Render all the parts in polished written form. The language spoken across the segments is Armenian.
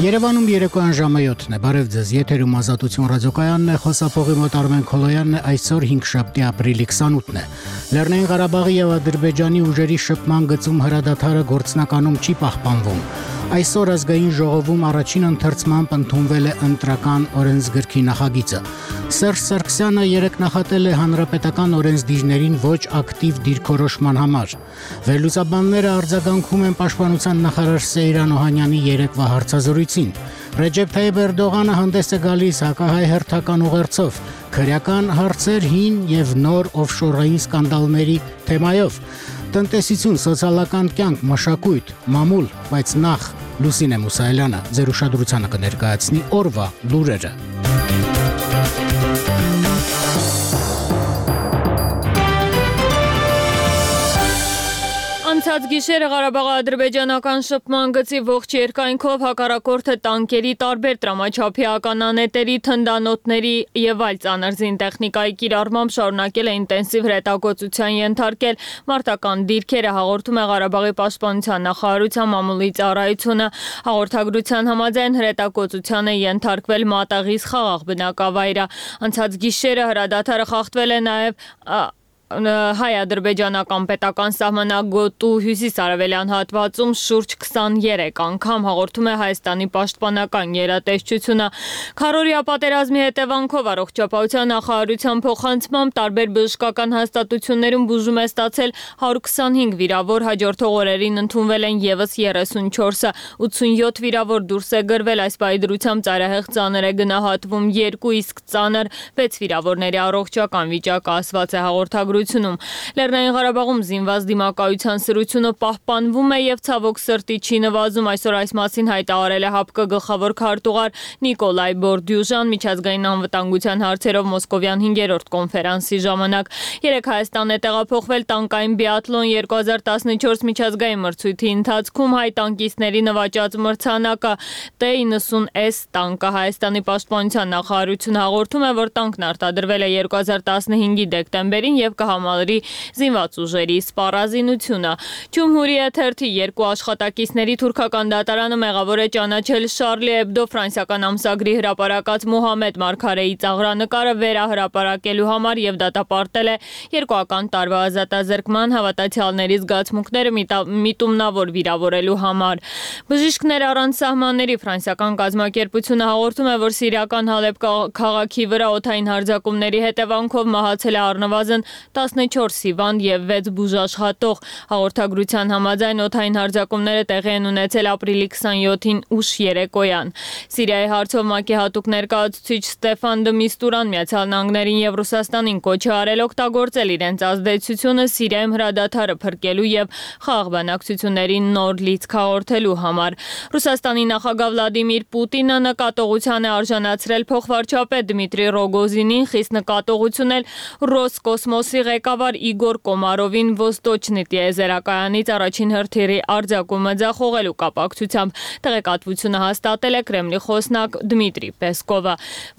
Երևանում երեկոյան ժամը 7-ն է, բարև ձեզ, եթերում Ազատություն ռադիոկայանն է, խոսափողի մոտ Արմեն Քոլոյանն է, այսօր 5-շաբթի ապրիլի 28-ն է։ Լեռնային Ղարաբաղի եւ Ադրբեջանի ուժերի շփման գծում հրադադարը գործնականում չի պահպանվում։ Այսօր ազգային ժողովում առաջին ընթերցմամբ ընդունվել է ընտրական օրենսգրքի նախագիծը։ Սերժ Սարգսյանը երեկ նախատել է հանրապետական օրենսդիրներին ոչ ակտիվ դիրքորոշման համար։ Վերլուծաբանները արձագանքում են պաշտպանության նախարար Սեյրան Օհանյանի երեկվա հարցազրույցին։ Ռեջեփ Թայիփ Էրդողանը հանդես է գալիս հակահայ հերթական ուղերձով, քրեական հարցեր, հին եւ նոր օֆշորային սկանդալների թեմայով։ Տնտեսություն, սոցիալական կյանք, մշակույթ, մամուլ, բայց նախ Լուսինե Մուսայելյանը ձեր ուշադրությանը կներկայացնի օրվա լուրերը։ Անցած գիշերը Ղարաբաղ-ադրբեջանական շփման գծի ողջ երկայնքով հակառակորդը տանկերի, տարբեր տրամաչափի ականանետերի, թնդանոթների եւ այլ ծանր զինտեխնիկայի կիրառմամբ շարունակել է ինտենսիվ հրետակոծության ենթարկել մարտական դիրքերը, հաղորդում է Ղարաբաղի պաշտպանության նախարարության մամուլի ծառայությունը։ Հաղորդագրության համաձայն հրետակոծության է ենթարկվել Մատաղիս խաղաղ բնակավայրը։ Անցած գիշերը հրադադարը խախտվել է նաեւ հայ-ադրբեջանական պետական սահմանագոտու հյուսիս-արևելյան հատվածում շուրջ 23 անգամ, հաղորդում է Հայաստանի պաշտպանական գերատեսչությունը։ Քառօրյա պատերազմի հետևանքով առողջապահության նախարարության փոխանցմամբ տարբեր բժշկական հաստատություններում բուժում է ստացել 125 վիրավոր, հաջորդող օրերին ընդունվել են եւս 34-ը, 87 վիրավոր դուրս է գրվել, այս պայդրությամբ ծայրահեղ ծանր է գնահատվում 2, իսկ ծանր 6 վիրավորների առողջական վիճակը ասված է հաղորդագրությունում։ Լեռնային Ղարաբաղում զինված դիմակայության սրությունը պահպանվում է եւ ցավոք սրտի չի նվազում, այսօր այս մասին հայտարարել է ՀԱՊԿ գլխավոր քարտուղար Նիկոլայ Բորդյուժան միջազգային անվտանգության հարցերով Մոսկովյան 5-րդ կոնֆերանսի ժամանակ։ Երեկ Հայաստան է տեղափոխվել տանկային բիաթլոն 2014 միջազգային մրցույթի ընթացքում հայ տանկիստների նվաճած մրցանակը T-90S տանկը։ Հայաստանի պաշտպանության նախարարությունը հաղորդում է, որ տանկն արտադրվել է 2015-ի դեկտեմբերին եւ կհամալրի զինված ուժերի սպառազինությունը։ Ջումհուրիյա թերթի երկու աշխատակիցների թուրքական դատարանը մեղավոր է ճանաչել Շարլի Էբդո ֆրանսիական ամսագրի հրապարակած Մուհամեդ Մարգարեի ծաղրանկարը վերահրապարակելու համար եւ դատապարտել է 2 տարվա ազատազրկման, հավատացյալների զգացմունքները միտումնավոր վիրավորելու համար։ Բժիշկներ առանց սահմանների ֆրանսիական կազմակերպությունը հաղորդում է, որ սիրիական Հալեբ քաղաքի վրա օդային հարձակումների հետևանքով մահացել է առնվազն 14 հիվանդ եւ 6 բուժաշխատող։ Հաղորդագրության համաձայն օդային հարձակումները տեղի են ունեցել ապրիլի 27-ին ուշ երեկոյան։ Սիրիայի հարցով ՄԱԿ-ի հատուկ ներկայացուցիչ Ստեֆան դը Միստուրան Միացյալ Նահանգներին եւ Ռուսաստանին կոչ է արել օգտագործել իրենց ազդեցությունը Սիրիայում հրադադարը փրկելու եւ խաղաղ բանակցություններին նոր լիցք հաղորդելու համար։ Ռուսաստանի նախագահ Վլադիմիր Պուտինը նկատողության է արժանացրել փոխվարչապետ Դմիտրի Ռոգոզինին, խիստ նկատողություն էլ Ռոսկոսմոսի ղեկավար Իգոր Կոմարովին Ոստոչնի տիեզերականից առաջին հրթիռի արձակումը ձախողելու կապակցությամբ, տեղեկատվությունը հաստատել է Կրեմլի խոսնակ Դմիտրի Պեսկովը։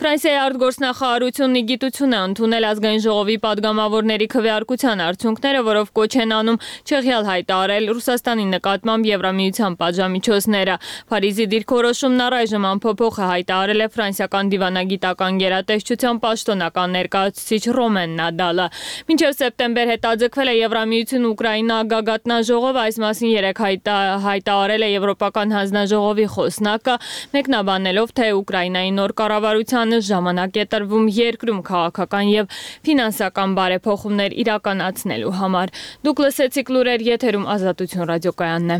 Ֆրանսիայի արտգործնախարարությունն ի գիտություն է ընդունել ազգային ժողովի падգամավորների քվեարկության արդյունքները, որով կոչ են անում չեղյալ հայտարարել Ռուսաստանի նկատմամբ Եվրամիության պատժամիջոցները։ Փարիզի դիրքորոշումն առայժմ անփոփոխ է հայտարարել է ֆրանսիական դիվանագիտական գերատեսչության պաշտոնական ներկայացուցիչ Ռոմեն Նադալը։ Մինչև սեպտեմբեր հետաձգվել է Եվրամիություն Ուկրաինա գագաթնաժողով, այս մասին երեկ հայտարարել է Եվրոպական հանձնաժողովի խոսնակը, մեկնաբանելով, թե Ուկրաինայի նոր կառավարությանը ժամանակ է տրվում երկրում քաղաքական եւ ֆինանսական բարեփոխումներ իրականացնելու համար։ Դուք լսեցիք լուրեր, եթերում Ազատություն ռադիոկայանն է։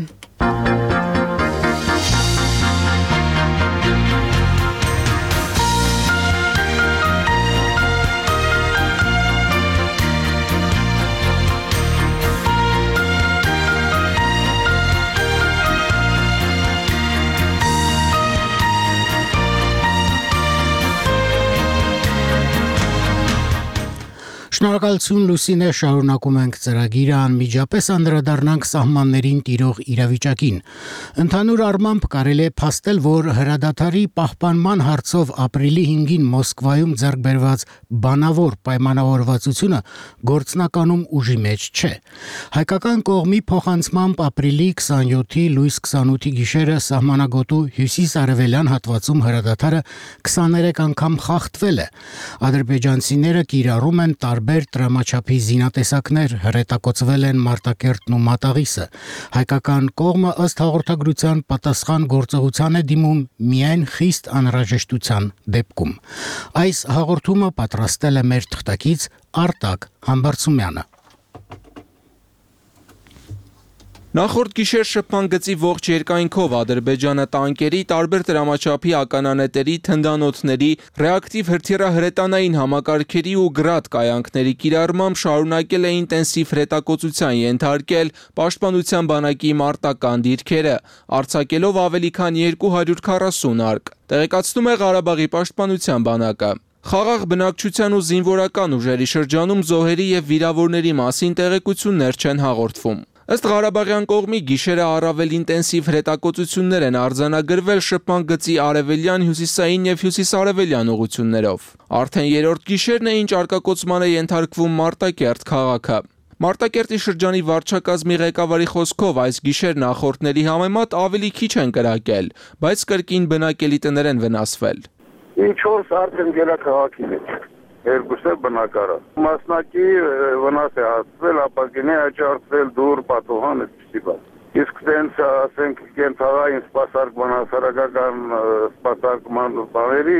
Շնորհակալություն Լուսինե, շարունակում ենք ծրագիրը, անմիջապես անդրադառնանք սահմաններին տիրող իրավիճակին։ Ընդհանուր առմամբ կարելի է փաստել, որ հրադադարի պահպանման հարցով ապրիլի 5-ին Մոսկվայում ձեռք բերված բանավոր պայմանավորվածությունը գործնականում ուժի մեջ չէ։ Հայկական կողմի փոխանցմամբ ապրիլի 27-ի լույս 28-ի գիշերը սահմանագոտու հյուսիս-արևելյան հատվածում հրադադարը 23 անգամ խախտվել է։ Ադրբեջանցիները կիրառում են տարբեր տրամաչափի զինատեսակներ, հրետակոծվել են Մարտակերտն ու Մատաղիսը։ Հայկական կողմը ըստ հաղորդագրության պատասխան գործողության է դիմում միայն խիստ անհրաժեշտության դեպքում։ Այս հաղորդումը պատրաստել է մեր թղթակից Արտակ Համբարձումյանը։ Նախորդ գիշեր շփման գծի ողջ երկայնքով Ադրբեջանը տանկերի, տարբեր տրամաչափի ականանետերի, թնդանոթների, ռեակտիվ հրթիռահրետանային համակարգերի ու գրադ կայանքների կիրառմամբ շարունակել է ինտենսիվ հրետակոծության ենթարկել Պաշտպանության բանակի մարտական դիրքերը, արձակելով ավելի քան 240 արկ, տեղեկացնում է Ղարաբաղի Պաշտպանության բանակը։ Խաղաղ բնակչության ու զինվորական ուժերի շրջանում զոհերի եւ վիրավորների մասին տեղեկություններ չեն հաղորդվում։ Ըստ Ղարաբաղյան կողմի գիշերը առավել ինտենսիվ հրետակոծություններ են արձանագրվել շփման գծի արևելյան, հյուսիսային եւ հյուսիսարևելյան ուղություններով։ Արդեն երրորդ գիշերն է, ինչ արկակոծման է ենթարկվում Մարտակերտ քաղաքը։ Մարտակերտի շրջանի վարչակազմի ղեկավարի խոսքով այս գիշեր նախորդների համեմատ ավելի քիչ են կրակել, բայց կրկին բնակելի տներ են վնասվել։ 4 արդեն գերակաղաքի մեջ։ Երկուսը բնակարան։ Մասնակի վնաս է հասցվել, ապակին է աճարցվել դուր, պատուհան, այդպիսի բան։ Իսկ դենց, ասենք, կենցաղային սպասարկման, հասարակական սպասարկման բաների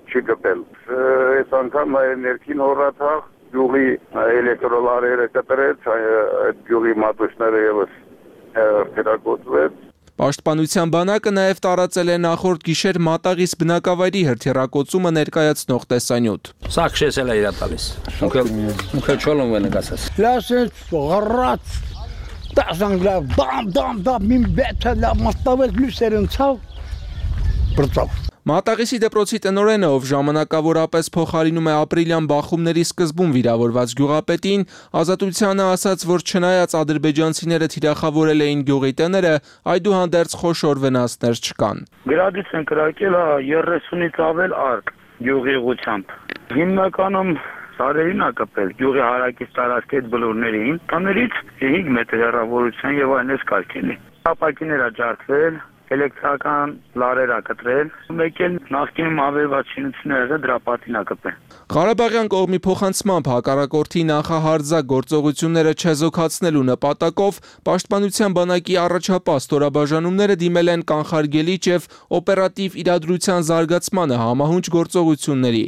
չի գտել։ Այս անգամ ներքին հորաթաղ գյուղի էլեկտրոլարերը կտրեց, այդ գյուղի մատուցները ևս հրթիռակոծվեց։ Պաշտպանության բանակը նաև տարածել է նախորդ գիշեր Մատաղիս բնակավայրի հրթիռակոծումը ներկայացնող տեսանյութ։ Սա քշեցել է իրա տալիս։ Ունքել չոլում է նկացած։ Լասեց ղռած տասանգլավ դամ մին բեթա լավ մստավել լուսերնցավ բրծավ։ Մատաղիսի դպրոցի տնօրենը, ով ժամանակավորապես փոխարինում է ապրիլյան բախումների սկզբում վիրավորված գյուղապետին, Ազատությանը ասաց, որ չնայած ադրբեջանցիները թիրախավորել էին գյուղի տները, այդուհանդերձ խոշոր վնասներ չկան։ Գրադից են կրակել 30-ից ավել արկ գյուղի ուղությամբ։ Հիմնականում սարերին ա կպել գյուղի հարակից տարածքի այդ բլուրներին, տներից 5 մետր հեռավորության եւ այնպես կարգելի։ Ապակիներ ա ջարդվել, էլեկտրական լարեր ա կտրել, մեկ էլ նախկինում ավերված շինությունները դրա պատին ա կպել։ Ղարաբաղյան կողմի փոխանցմամբ հակառակորդի նախահարձակ գործողությունները չեզոքացնելու նպատակով Պաշտպանության բանակի առաջապահ ստորաբաժանումները դիմել են կանխարգելիչ եւ օպերատիվ իրադրության զարգացմանը համահունչ գործողությունների։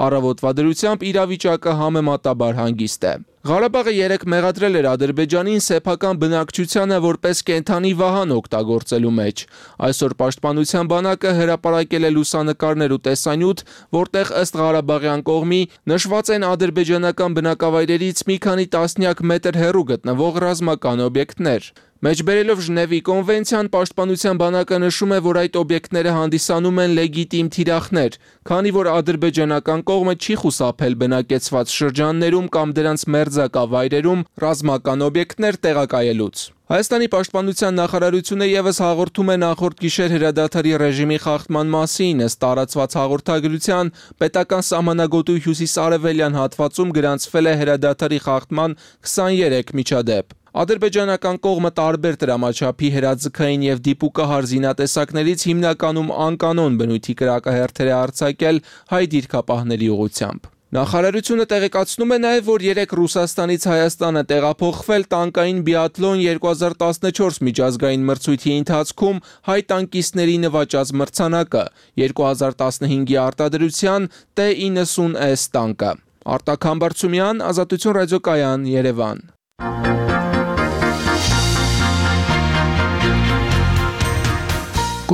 Առավոտվա դրությամբ իրավիճակը համեմատաբար հանգիստ է։ Ղարաբաղը 3 մեղադրել էր Ադրբեջանին սեփական բնակչությանը որպես կենդանի վահան օգտագործելու մեջ։ Այսօր Պաշտպանության բանակը հրապարակել է լուսանկարներ ու տեսանյութ, որտեղ ըստ Ղարաբաղյան կողմի նշված են ադրբեջանական բնակավայրերից մի քանի տասնյակ մետր հեռու գտնվող ռազմական օբյեկտներ։ Մեջբերելով Ժնևի կոնվենցիան, Պաշտպանության բանակը նշում է, որ այդ օբյեկտները հանդիսանում են լեգիտիմ թիրախներ, քանի որ ադրբեջանական կողմը չի խուսափել բնակեցված շրջաններում կամ դրանց մերձակա վայրերում ռազմական օբյեկտներ տեղակայելուց։ Հայաստանի պաշտպանության նախարարությունը եւս հաղորդում է նախորդ գիշեր հրադադարի ռեժիմի խախտման մասին, ըստ տարածված հաղորդագրության, պետական սահմանագոտու հյուսիս-արևելյան հատվածում գրանցվել է հրադադարի խախտման 23 միջադեպ։ Ադրբեջանական կողմը տարբեր տրամաչափի հրաձգային եւ դիպուկահար զինատեսակներից հիմնականում անկանոն բնույթի կրակահերթեր է արձակել հայ դիրքապահների ուղղությամբ։ Նախարարությունը տեղեկացնում է նաև, որ 3 Ռուսաստանից Հայաստանը տեղափոխվել տանկային բիաթլոն 2014 միջազգային մրցույթի ընթացքում հայ տանկիստների նվաճած մրցանակը 2015-ի արտադրության T-90S տանկը։ Արտակ Համբարձումյան, Ազատություն ռադիոկայան, Երևան։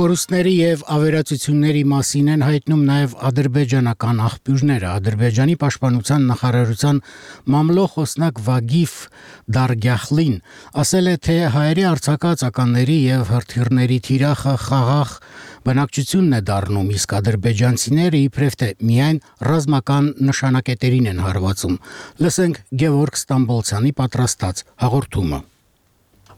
Կորուստների եւ ավերածությունների մասին են հայտնում նաեւ ադրբեջանական աղբյուրները։ Ադրբեջանի պաշտպանության նախարարության մամլո խոսնակ Վագիֆ Դարգյախլին ասել է, թե հայերի արձակածականների եւ հրթիռների թիրախը խաղաղ բնակչությունն է դառնում, իսկ ադրբեջանցիները իբրև թե միայն ռազմական նշանակետերին են հարվածում։ Լսենք Գևորգ Ստամբոլցյանի պատրաստած հաղորդումը։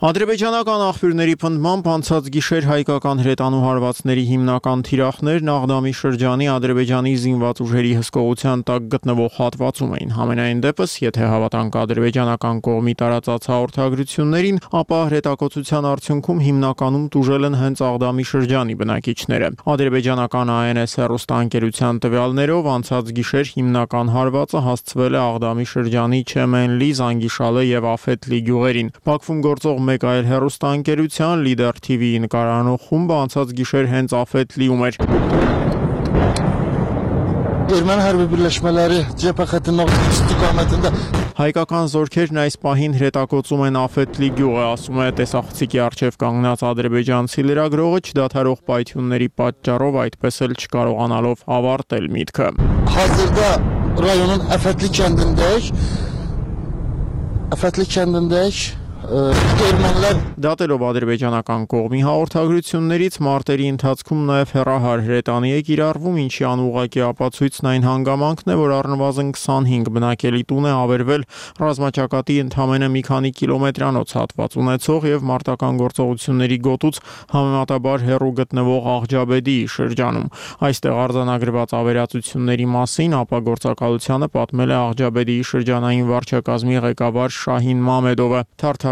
Ադրբեջանական աղբյուրների պնդմամբ անցած գիշեր հայկական հրետանու հարվածների հիմնական թիրախներն Աղդամի շրջանի Ադրբեջանի զինված ուժերի հսկողության տակ գտնվող հատվածում էին։ Համենայն դեպս, եթե հավատանք ադրբեջանական կողմի տարածած հաղորդագրություններին, ապա հրետակոծության արդյունքում հիմնականում տուժել են հենց Աղդամի շրջանի բնակիչները։ Ադրբեջանական ANS հեռուստաընկերության տվյալներով անցած գիշեր հիմնական հարվածը հասցվել է Աղդամի շրջանի Չեմենլի, Զանգիշալե եւ Աֆետլի գյուղերին։ Բաքվում գործող մեկ այլ հեռուստաընկերության Լիդեր TV-ի նկարանող խումբը անցած գիշեր հենց Աֆետլիում էր։ Erməni hərbi birləşmələri cephe xəttinin istiqamətində Հայկական զորքերն այս պահին հրետակոծում են Աֆետլի գյուղը, ասում է տեսախցիկի առջև կանգնած ադրբեջանցի լրագրողը, չդադարող պայթյունների պատճառով այդպես էլ չկարողանալով ավարտել միտքը։ Hazırda rayonun Əfətli kəndindəyik. Դատելով ադրբեջանական կողմի հաղորդագրություններից մարտերի ընթացքում նաև հեռահար հրետանի է կիրառվում, ինչի անուղղակի ապացույցն այն հանգամանքն է, որ առնվազն 25 բնակելի տուն է ավերվել ռազմաճակատի ընդամենը մի քանի կիլոմետրանոց հատված ունեցող եւ մարտական գործողությունների գոտուց համեմատաբար հեռու գտնվող Աղջաբեդիի շրջանում։ Այստեղ արձանագրված ավերածությունների մասին ապա գործակալությանը պատմել է Աղջաբեդիի շրջանային վարչակազմի ղեկավար Շահին Մամեդովը։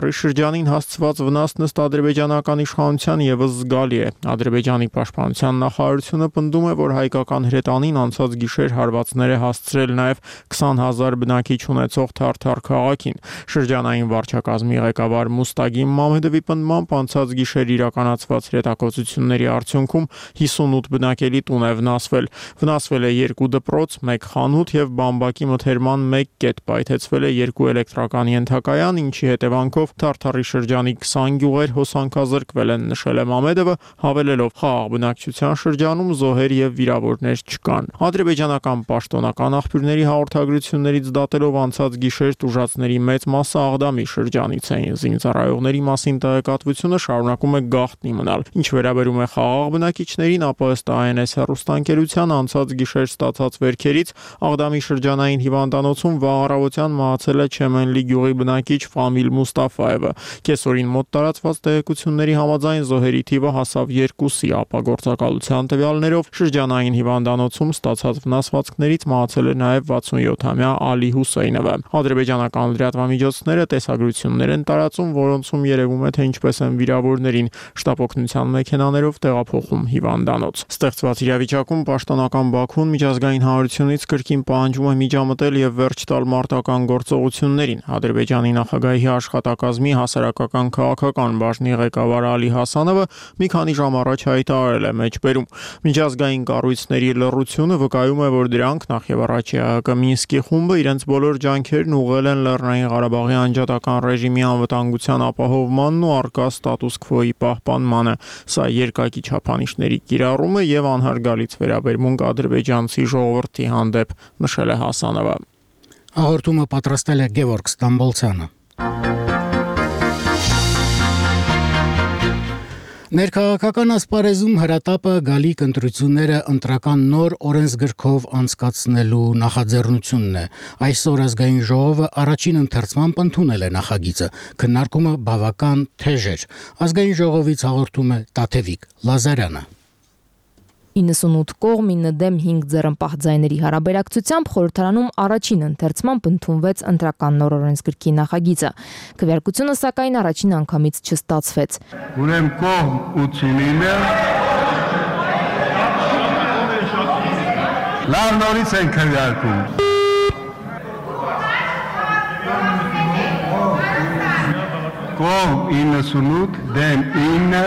Շրջանին հասցված վնասն ըստ ադրբեջանական իշխանության եւս զգալի է։ Ադրբեջանի պաշտպանության նախարարությունը պնդում է, որ հայկական հրետանին անցած գիշեր հարվածներ է հասցրել նաեւ 20,000 բնակիչ ունեցող Թարթար քաղաքին։ Շրջանային վարչակազմի ղեկավար Մուստագիմ Մամեդովի պնդմամբ անցած գիշեր իրականացված հրետակոծությունների արդյունքում 58 բնակելի տուն է վնասվել։ Վնասվել է 2 դպրոց, 1 խանութ եւ բամբակի մթերման 1 կետ, պայթեցվել է 2 էլեկտրական ենթակայան, ինչի հետևանքով Թարթարի շրջանի 20 գյուղեր հոսանքազրկվել են, նշել է Մամեդովը, հավելելով խաղաղ բնակչության շրջանում զոհեր եւ վիրավորներ չկան։ Ադրբեջանական պաշտոնական աղբյուրների հաղորդագրություններից դատելով անցած գիշեր տուժածների մեծ մասը Աղդամի շրջանից էին։ Զինծառայողների մասին տեղեկատվությունը շարունակում է գաղտնի մնալ։ Ինչ վերաբերում է խաղաղ բնակիչներին, ապա ըստ ANS հեռուստաընկերության անցած գիշեր ստացած վերքերից Աղդամի շրջանային հիվանդանոցում վաղ առավոտյան մահացել է Չեմենլի գյուղի բնակիչ Ֆամիլ Մուստաֆայևը։ Կեսօրին մոտ տարածված տեղեկությունների համաձայն զոհերի թիվը հասավ 2-ի, ապա գործակալության տվյալներով շրջանային հիվանդանոցում ստացած վնասվածքներից մահացել է նաև 67-ամյա Ալի Հուսեյնովը։ Ադրբեջանական լրատվամիջոցները տեսագրություններ են տարածում, որոնցում երևում է, թե ինչպես են վիրավորներին շտապօգնության մեքենաներով տեղափոխում հիվանդանոց։ Ստեղծված իրավիճակում պաշտոնական Բաքուն միջազգային հանրությունից կրկին պահանջում է միջամտել եւ վերջ տալ մարտական գործողություններին։ Ադրբեջանի նախագահի աշխատակազմի հասարակական քաղաքական բաժնի ղեկավար Ալի Հասանովը մի քանի ժամ առաջ հայտարարել է մեջբերում. Միջազգային կառույցների լռությունը վկայում է, որ դրանք նախ եւ առաջ ՀՀԿ Մինսկի խումբը իրենց բոլոր ջանքերն ուղղել են Լեռնային Ղարաբաղի անջատական ռեժիմի անվտանգության ապահովմանն ու առկա ստատուս քվոյի պահպանմանը։ Սա երկակի չափանիշների կիրառումը եւ անհարգալից վերաբերմունք ադրբեջանցի ժողովրդի հանդեպ, նշել է Հասանովը։ Հաղորդումը պատրաստել է Գևորգ Ստամբոլցյանը։ Ներքաղաքական ասպարեզում հրատապը գալիք ընտրությունները ընտրական նոր օրենսգրքով անցկացնելու նախաձեռնությունն է։ Այսօր ազգային ժողովը առաջին ընթերցմամբ ընդունել է նախագիծը։ Քննարկումը բավական թեժ էր։ Ազգային ժողովից հաղորդում է Տաթևիկ Լազարյանը։ 98 կողմ 9 դեմ 5 ձեռնպահ ձայների հարաբերակցությամբ խորհրդարանում առաջին ընթերցմամբ ընդունվեց ընտրական նոր օրենսգրքի նախագիծը։ Քվեարկությունը սակայն առաջին անգամից չստացվեց։ Ուրեմն կողմ 89-ը լավ նորից են քվեարկում։ Կողմ 98 դեմ 9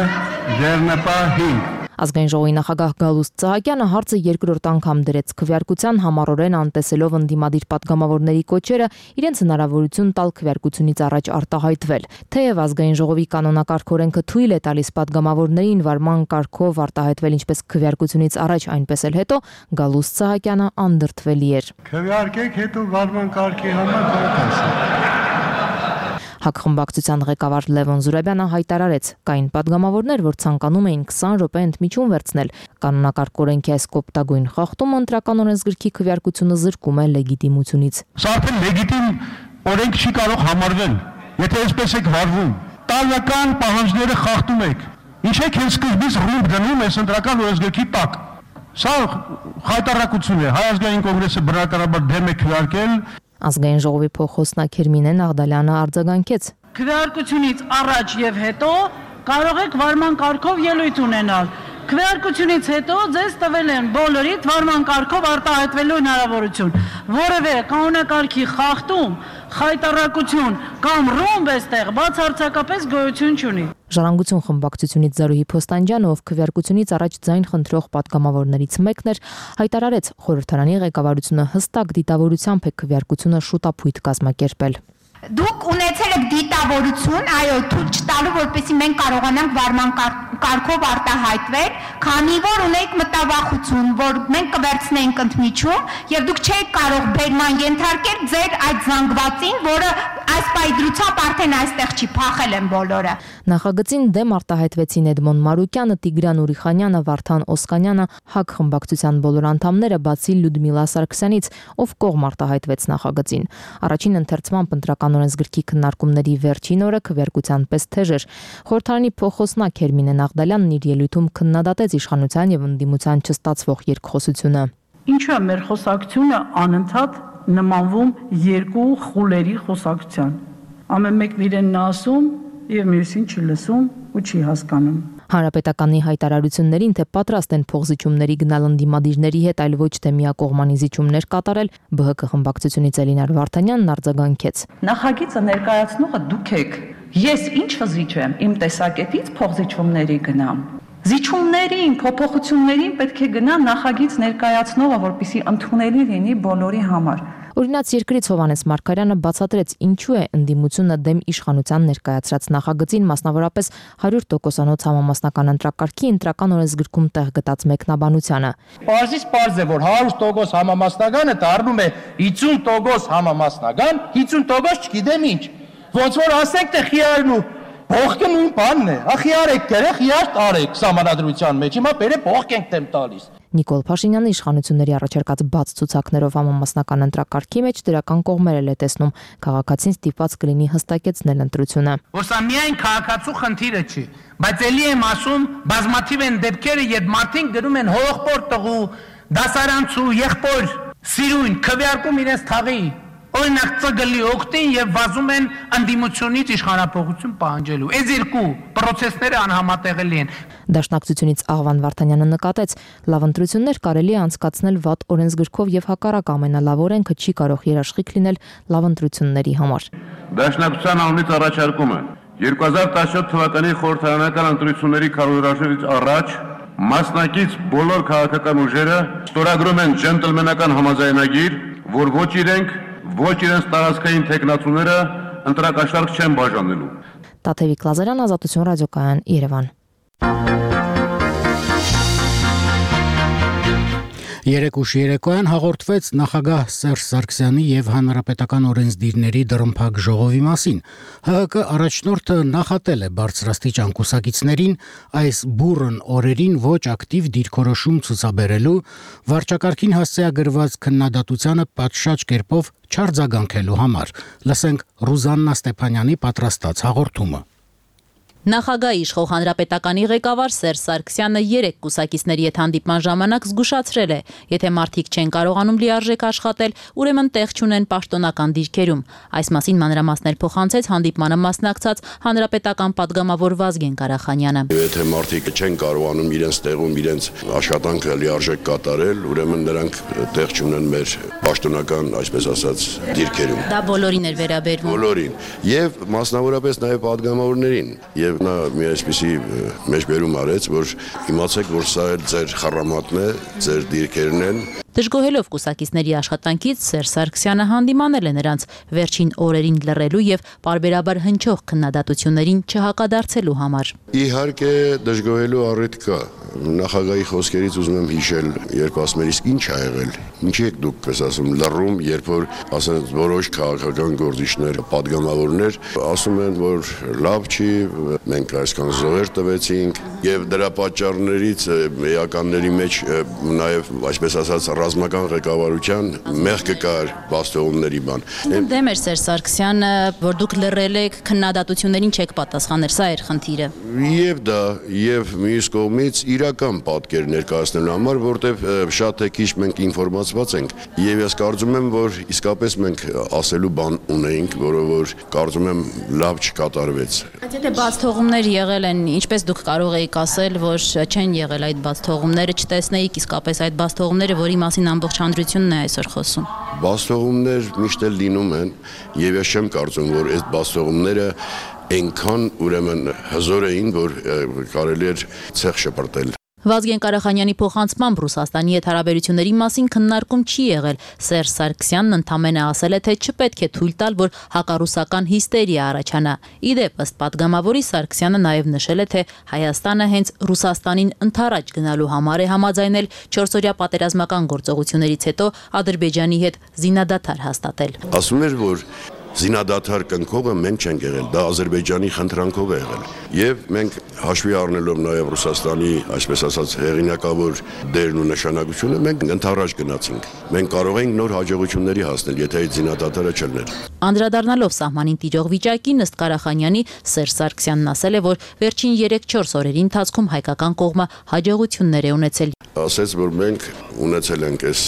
ձեռնպահ 5 Ազգային ժողովի նախագահ Գալուստ Սահակյանը հարցը երկրորդ անգամ դրեց քվեարկության, համառորեն անտեսելով ընդդիմադիր պատգամավորների կոչերը իրենց հնարավորություն տալ քվեարկությունից առաջ արտահայտվել։ Թեև ազգային ժողովի կանոնակարգ օրենքը թույլ է տալիս պատգամավորներին վարման կարգով արտահայտվել ինչպես քվեարկությունից առաջ, այնպես էլ հետո, Գալուստ Սահակյանը անդրդվելի էր։ Քվեարկեք, հետո վարման կարգի համար կարողացեք։ ՀԱԿ խմբակցության ղեկավար Լևոն Զուրաբյանը հայտարարեց, կային պատգամավորներ, որ ցանկանում էին 20 րոպե ընդմիջում վերցնել։ Կանոնակարգ օրենքի այս կոպտագույն խախտումը ընտրական օրենսգրքի քվեարկությունը զրկում է լեգիտիմությունից։ Սա արդեն լեգիտիմ օրենք չի կարող համարվել, եթե այսպես եք վարվում։ Տարական պահանջները խախտում եք։ Ինչ եք հենց սկզբից ռումբ դնում այս ընտրական օրենսգրքի տակ։ Սա խայտարակություն է։ Հայ ազգային կոնգրեսը բնականաբար դեմ է քվեարկել։ Ազգային ժողովի փոխոսնակ Հերմինե Նաղդալյանը արձագանքեց. Քվեարկությունից առաջ եւ հետո կարող եք վարման կարգով ելույթ ունենալ։ Քվեարկությունից հետո ձեզ տվել են բոլորիդ վարման կարգով արտահայտվելու հնարավորություն։ Որևէ կանոնակարգի խախտում, խայտարակություն կամ ռումբ էստեղ բացարձակապես գոյություն չունի։ Ժառանգություն խմբակցությունից Զարուհի Փոստանջյանը, ով քվեարկությունից առաջ ձայն խնդրող պատգամավորներից մեկն էր, հայտարարեց, խորհրդարանի ղեկավարությունը հստակ դիտավորությամբ է քվեարկությունը շուտապույտ կազմակերպել։ Դուք ունեցել եք դիտավորություն, այո, թույլ չտալու, որպեսզի մենք կարողանանք վարման կարգով արտահայտվել, քանի որ ունենք մտավախություն, որ մենք կվերցնենք ընդմիջում եւ դուք չեք կարող բերման ենթարկել ձեր այդ զանգվածին, որը այս պայդրությամբ արդեն այստեղ չի, փախել են բոլորը։ Նախագծին դեմ արտահայտվեցին Էդմոն Մարուկյանը, Տիգրան Ուրիխանյանը, Վարդան Օսկանյանը, ՀԱԿ խմբակցության բոլոր անդամները, բացի Լյուդմիլա Սարգսյանից, ով կողմ արտահայտվեց նախագծին։ Առաջին ընթերցման ընտրական օրենսգրքի քննարկումների վերջին օրը քվեարկության պես թեժ էր։ Խորհրդարանի փոխոսնակ Հերմինե Նաղդալյանն իր ելույթում քննադատեց իշխանության եւ ընդդիմության չստացվող երկխոսությունը։ Ինչու է մեր խոսակցությունը անընդհատ նմանվում երկու խուլերի խոսակցության։ Ամեն մեկն իրենն ասում եւ մյուսին չի լսում ու չի հասկանում։ Հանրապետականի հայտարարություններին, թե պատրաստ են փոխզիջումների գնալ ընդդիմադիրների հետ, այլ ոչ թե միակողմանի զիջումներ կատարել, ԲՀԿ խմբակցությունից Էլինար Վարդանյանն արձագանքեց։ Նախագիծը ներկայացնողը դուք եք։ Ես ինչ վզիջեմ, իմ տեսակետից փոխզիջումների գնամ։ Զիջումներին, փոփոխություններին պետք է գնա նախագիծ ներկայացնողը, որպեսզի ընդունելի լինի բոլորի համար։ Օրինաց երկրից Հովհաննես Մարգարյանը բացատրեց, ինչու է ընդդիմությունը դեմ իշխանության ներկայացրած նախագծին, մասնավորապես 100%-անոց համամասնական ընտրակարգի ընտրական օրենսգրքում տեղ գտած մեկնաբանությանը։ Պարզից պարզ է, որ 100% համամասնականը դառնում է 50% համամասնական, 50% չգիտեմ ինչ։ Ոնց որ ասենք, թե խիարն ու փոխքը նույն բանն է։ Խիար եք դերեք, խիար տարեք սահմանադրության մեջ։ Հիմա բերե փոխք ենք դեմ տալիս։ Նիկոլ Փաշինյանը իշխանությունների առաջարկած բաց ցուցակներով համամասնական ընտրակարգի մեջ դրական կողմեր է տեսնում, քաղաքացին ստիպված կլինի հստակեցնել ընտրությունը։ Որ սա միայն քաղաքացու խնդիրը չի, բայց ելի եմ ասում, բազմաթիվ են դեպքերը, երբ մարդիկ դնում են հողպոր տղու, դասարանցու, եղբոր, սիրուն, քվեարկում իրենց թաղի, օրինակ ծգլի օգտին եւ վազում են ընդդիմությունից իշխանապողություն պահանջելու։ Այս երկու process-ները անհամատեղելի են։ Դաշնակցությունից Աղվան Վարդանյանը նկատեց, լավ ընտրություններ կարելի է անցկացնել վատ օրենսգրքով եւ հակառակ ամենալավ օրենքը չի կարող երաշխիք լինել լավ ընտրությունների համար։ Դաշնակցության անունից առաջարկում է 2017 թվականի խորհրդարանական ընտրությունների քարոզարշավից առաջ մասնակից բոլոր քաղաքական ուժերը ստորագրում են ջենտլմենական համաձայնագիր, որ ոչ իրենց տարածքային տեխնացուները ընտրակաշարք չեն բաժանելու։ Տաթևիկ Լազարյան, Ազատություն ռադիոկայան, Երևան։ Երեկ ուշ երեկոյան հաղորդվեց նախագահ Սերժ Սարգսյանի եւ հանրապետական օրենսդիրների դռնփակ ժողովի մասին։ ՀՀԿ առաջնորդը նախատել է բարձրաստիճան կուսակիցներին այս բուռն օրերին ոչ ակտիվ դիրքորոշում ցուցաբերելու, վարչակարգին հասցեագրված քննադատությանը պատշաճ կերպով չարձագանքելու համար։ Լսենք Ռուզաննա Ստեփանյանի պատրաստած հաղորդումը։ Նախագահի իշխող հանրապետականի ղեկավար Սերժ Սարգսյանը երեք կուսակիցների հետ հանդիպման ժամանակ զգուշացրել է, եթե մարդիկ չեն կարողանում լիարժեք աշխատել, ուրեմն տեղ չունեն պաշտոնական դիրքերում։ Այս մասին մանրամասներ փոխանցեց հանդիպմանը մասնակցած հանրապետական պատգամավոր Վազգեն Ղարախանյանը։ Եթե մարդիկ չեն կարողանում իրենց տեղում իրենց աշխատանքը լիարժեք կատարել, ուրեմն նրանք տեղ չունեն մեր պաշտոնական, այսպես ասած, դիրքերում։ Դա բոլորին էր վերաբերվում։ Բոլորին, եւ մասնավորապես նաեւ պատգամավորներին։ Եվ որովհետև նա մի այսպիսի մեջբերում արեց, որ իմացեք, որ սա էլ ձեր խառամատն է, ձեր դիրքերն են։ Դժգոհելով կուսակիցների աշխատանքից Սերժ Սարգսյանը հանդիմանել է նրանց վերջին օրերին լռելու եւ պարբերաբար հնչող քննադատություններին չհակադարձելու համար։ Իհարկե դժգոհելու առիթ կա։ Նախագահի խոսքերից ուզում եմ հիշել, երբ ասում էր, իսկ ինչ ա եղել։ Ինչի եք դուք պես ասում լռում, երբ որ ասեն որոշ քաղաքական գործիչներ, падգամավորներ ասում են, որ լավ չի, մենք այսքան զոհեր տվեցինք եւ դրա պատճառներից էականների մեջ նաեւ այսպես ասած ռազմական ղեկավարության մեղքը կար բաստողումների բան։ Դեմ էր Սերժ Սարգսյանը, որ դուք լռել եք, քննադատություններին չեք պատասխանել, սա էր խնդիրը։ Եվ դա, եւ մյուս կողմից իրական պատկեր ներկայացնելու համար, որտեվ շատ է քիչ մենք ինֆորմացված ենք, եւ ես կարծում եմ, որ իսկապես մենք ասելու բան ունեինք, որը որ կարծում եմ լավ չկատարվեց։ Բայց եթե բաց թողումներ եղել են, ինչպես դուք կարող եք ասել, որ չեն եղել այդ բաց թողումները, չտեսնեիք իսկապես այդ բաց թողումները, որի մասին ամբողջ հանրությունն է այսօր խոսում։ Բաստողումներ միշտ էլ լինում են եւ ես չեմ կարծում, որ այդ բաստողումները այնքան ուրեմն հզոր էին, որ կարելի էր ցեղ շպրտել։ Վազգեն Կարախանյանի փոխանցմամբ Ռուսաստանի հետ հարաբերությունների մասին քննարկում չի եղել։ Սերժ Սարգսյանն ընդամենը ասել է, թե չպետք է թույլ տալ, որ հակառուսական հիստերիա առաջանա։ Իդեպ ըստ падգամավորի Սարգսյանը նաև նշել է, թե Հայաստանը հենց Ռուսաստանին ընդառաջ գնալու համար է համաձայնել 4-օրյա պատերազմական գործողություններից հետո Ադրբեջանի հետ զինադադար հաստատել։ Ասում էր, որ զինադադար կնքողը մենք չենք եղել, դա Ադրբեջանի խնդրանքով է եղել։ Եվ մենք հաշվի առնելով նաև Ռուսաստանի, այսպես ասած, հեղինակավոր դերն ու նշանակությունը, մենք ընդառաջ գնացինք։ Մենք կարող ենք նոր հաջողությունների հասնել, եթե այդ զինադադարը չլներ։ Անդրադառնալով սահմանին տիրող վիճակին, ըստ Կարախանյանի, Սերժ Սարգսյանն ասել է, որ վերջին 3-4 օրերի ընթացքում հայկական կողմը հաջողություններ է ունեցել։ Ասեց, որ մենք ունեցել ենք այս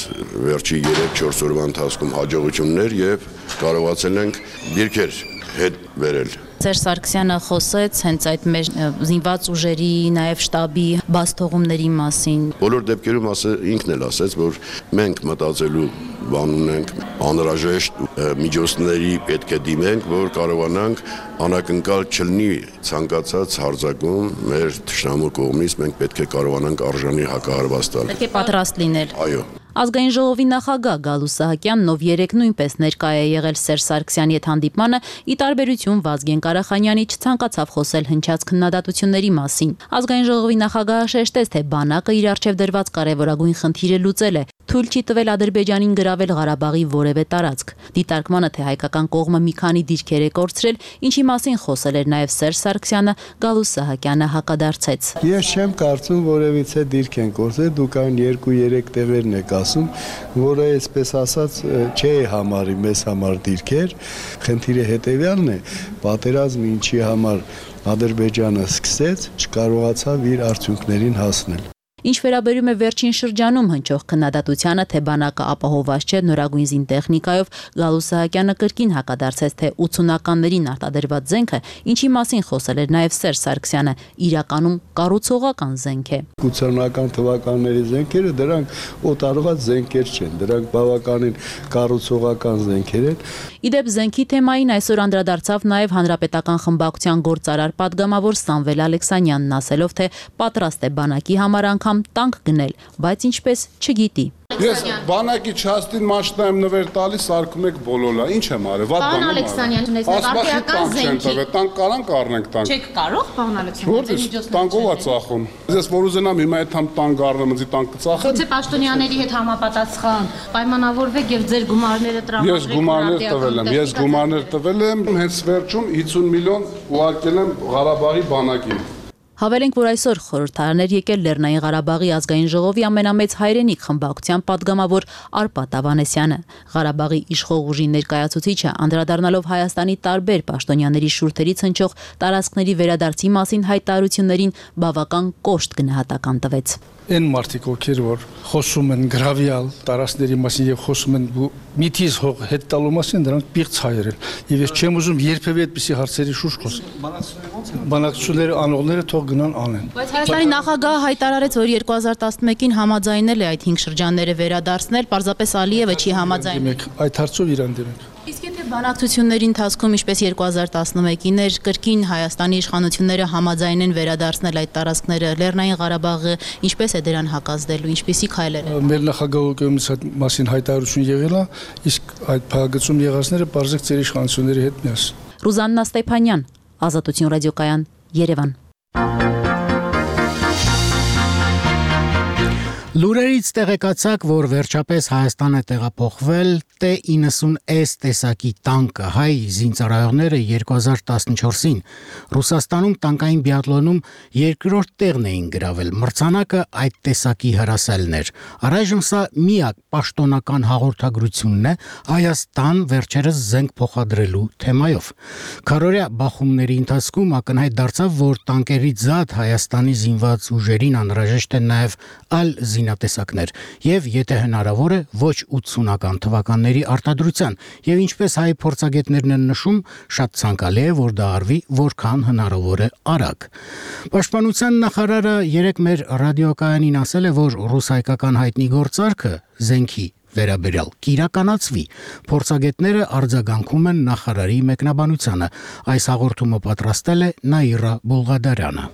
վերջի 3-4 օրվա ընթացքում հաջողություններ եւ կարողացել ենք դիրքեր հետ վերել։ Սերժ Սարգսյանը խոսեց հենց այդ մեր զինված ուժերի, նաև շտաբի բաստողումների մասին։ Բոլոր դեպքերում ինքն էլ ասեց, որ մենք մտածելու բան ունենք, անհրաժեշտ միջոցների պետք է դիմենք, որ կարողանանք անակնկալ չլինի ցանկացած հարձակում մեր թշնամու կողմից, մենք պետք է կարողանանք արժանի հակահարված տալ։ Պետք է պատրաստ լինել։ Այո։ Ազգային ժողովի նախագահ Գալուս Սահակյանն, ով երեկ նույնպես ներկա է եղել Սերժ Սարգսյանի հետ հանդիպմանը, ի տարբերություն Վազգեն Կարախանյանի չցանկացավ խոսել հնչած քննադատությունների մասին։ Ազգային ժողովի նախագահը շեշտեց, թե բանակը իր առջև դրված կարևորագույն խնդիրը լուծել է, թույլ չի տվել Ադրբեջանին գրավել Ղարաբաղի որևէ տարածք։ Դիտարկմանը, թե հայկական կողմը մի քանի դիրքեր է կորցրել, ինչի մասին խոսել էր նաև Սերժ Սարգսյանը, Գալուս Սահակյանը հակադարձեց։ Ես չեմ կարծում որևիցե դիրք են կորցրել, դուք այն 2-3 տեղերն եք ասում, որը այսպես ասած չէ համարի մեզ համար դիրքեր, խնդիրը հետևյալն է, պատերազմը ինչի համար Ադրբեջանը սկսեց, չկարողացավ իր արդյունքներին հասնել։ Ինչ վերաբերում է վերջին շրջանում հնչող քննադատությանը, թե բանակը ապահովված չէ նորագույն զինտեխնիկայով, Գալուս Սահակյանը կրկին հակադարձեց, թե 80-ականներին արտադրված զենքը, ինչի մասին խոսել էր նաև Սերժ Սարգսյանը, իրականում կառուցողական զենք է։ 80-ական թվականների զենքերը դրանք օտարված զենքեր չեն, դրանք բավականին կառուցողական զենքեր են։ Իդեպ զենքի թեմային այսօր անդրադարձավ նաև Հանրապետական խմբակցության գործարար պատգամավոր Սամվել Ալեքսանյանն, ասելով, թե պատրաստ է բանակի համար անգամ տանկ գնել, բայց ինչպես չգիտի։ Ես բանակի չաստին մաշտայեմ նվեր տալիս, սարքում եք բոլոլա, ինչ եմ արել, վատ բան եմ արել։ Ալեքսանյան, արդիական զենքի։ Տանկ կարանք առնենք տանկ։ Չեք կարող, պարոն Ալեքսանյան, Որտե՞ղ տանկով է ծախում։ Ես որ ուզենամ հիմա այդ համ տանկ առնեմ, ինձ տանկ կծախեն։ Գուցե պաշտոնյաների հետ համապատասխան պայմանավորվեք եւ ձեր գումարները տրամադրեք։ Ես գումարներ տվել եմ, հենց վերջում 50 միլիոն ուղարկել եմ Ղարաբաղի բանակին։ Հավելենք, որ այսօր խորհրդարաններ եկել Լեռնային Ղարաբաղի ազգային ժողովի ամենամեծ հայրենիք խմբակցության պատգամավոր Արպատ Ավանեսյանը։ Ղարաբաղի իշխող ուժի ներկայացուցիչը անդրադառնալով Հայաստանի տարբեր պաշտոնյաների շուրթերից հնչող տարածքների վերադարձի մասին հայտարարություններին բավական կոշտ գնահատական տվեց։ Այն մարդիկ, ովքեր որ խոսում են գրավյալ տարածքների մասին եւ խոսում են միտից հող հետ տալու մասին, դրանք պիղծ հայեր են։ Եվ ես չեմ ուզում երբևէ այդպիսի հարցերի շուրջ խոսել։ Բանակցությունները անողները թող գնան անեն։ Բայց Հայաստանի նախագահը հայտարարեց, որ 2011-ին համաձայնել է այդ 5 շրջանները վերադարձնել, պարզապես Ալիևը չի համաձայնել։ Այդ հարցով իրան դիմեք։ Իսկ եթե Բանակցությունների ընթացքում, ինչպես 2011-ին էր, կրկին Հայաստանի իշխանությունները համաձայն են վերադարձնել այդ տարածքները, Լեռնային Ղարաբաղը ինչպես է դրան հակազդելու, ինչպիսի քայլեր են։ Մեր նախագահի կողմից այդ մասին հայտարարություն եղել է, իսկ այդ փակագծում եղածները բարձր ծեր իշխանությունների հետ միասին։ Ռուզաննա Ստեփանյան, Ազատություն ռադիոկայան, Երևան։ Լուրերից տեղեկացաք, որ վերջապես Հայաստան է տեղափոխվել T-90S տեսակի տանկը, հայ զինծառայողները 2014-ին Ռուսաստանում տանկային բիաթլոնում երկրորդ տեղն էին գրավել, մրցանակը այդ տեսակի հրասելն էր։ Առայժմ սա միակ պաշտոնական հաղորդագրությունն է Հայաստան վերջերս զենք փոխադրելու թեմայով։ Քարորյա բախումների ընթացքում ակնհայտ դարձավ, որ տանկերից զատ Հայաստանի զինված ուժերին անհրաժեշտ է նաև այլ զինատեսակներ եւ եթե հնարավոր է ոչ 80-ական թվականների արտադրության եւ ինչպես հայ փորձագետներն են նշում շատ ցանկալի է որ դա արվի որքան հնարավոր է արագ։ Պաշտպանության նախարարը երեկ մեր ռադիոկայանին ասել է որ ռուս-հայկական հայտնի գործարքը զենքի վերաբերյալ կիրականացվի։ Փորձագետները արձագանքում են նախարարի մեկնաբանությանը։ Այս հաղորդումը պատրաստել է Նաիրա Բուլղադարյանը։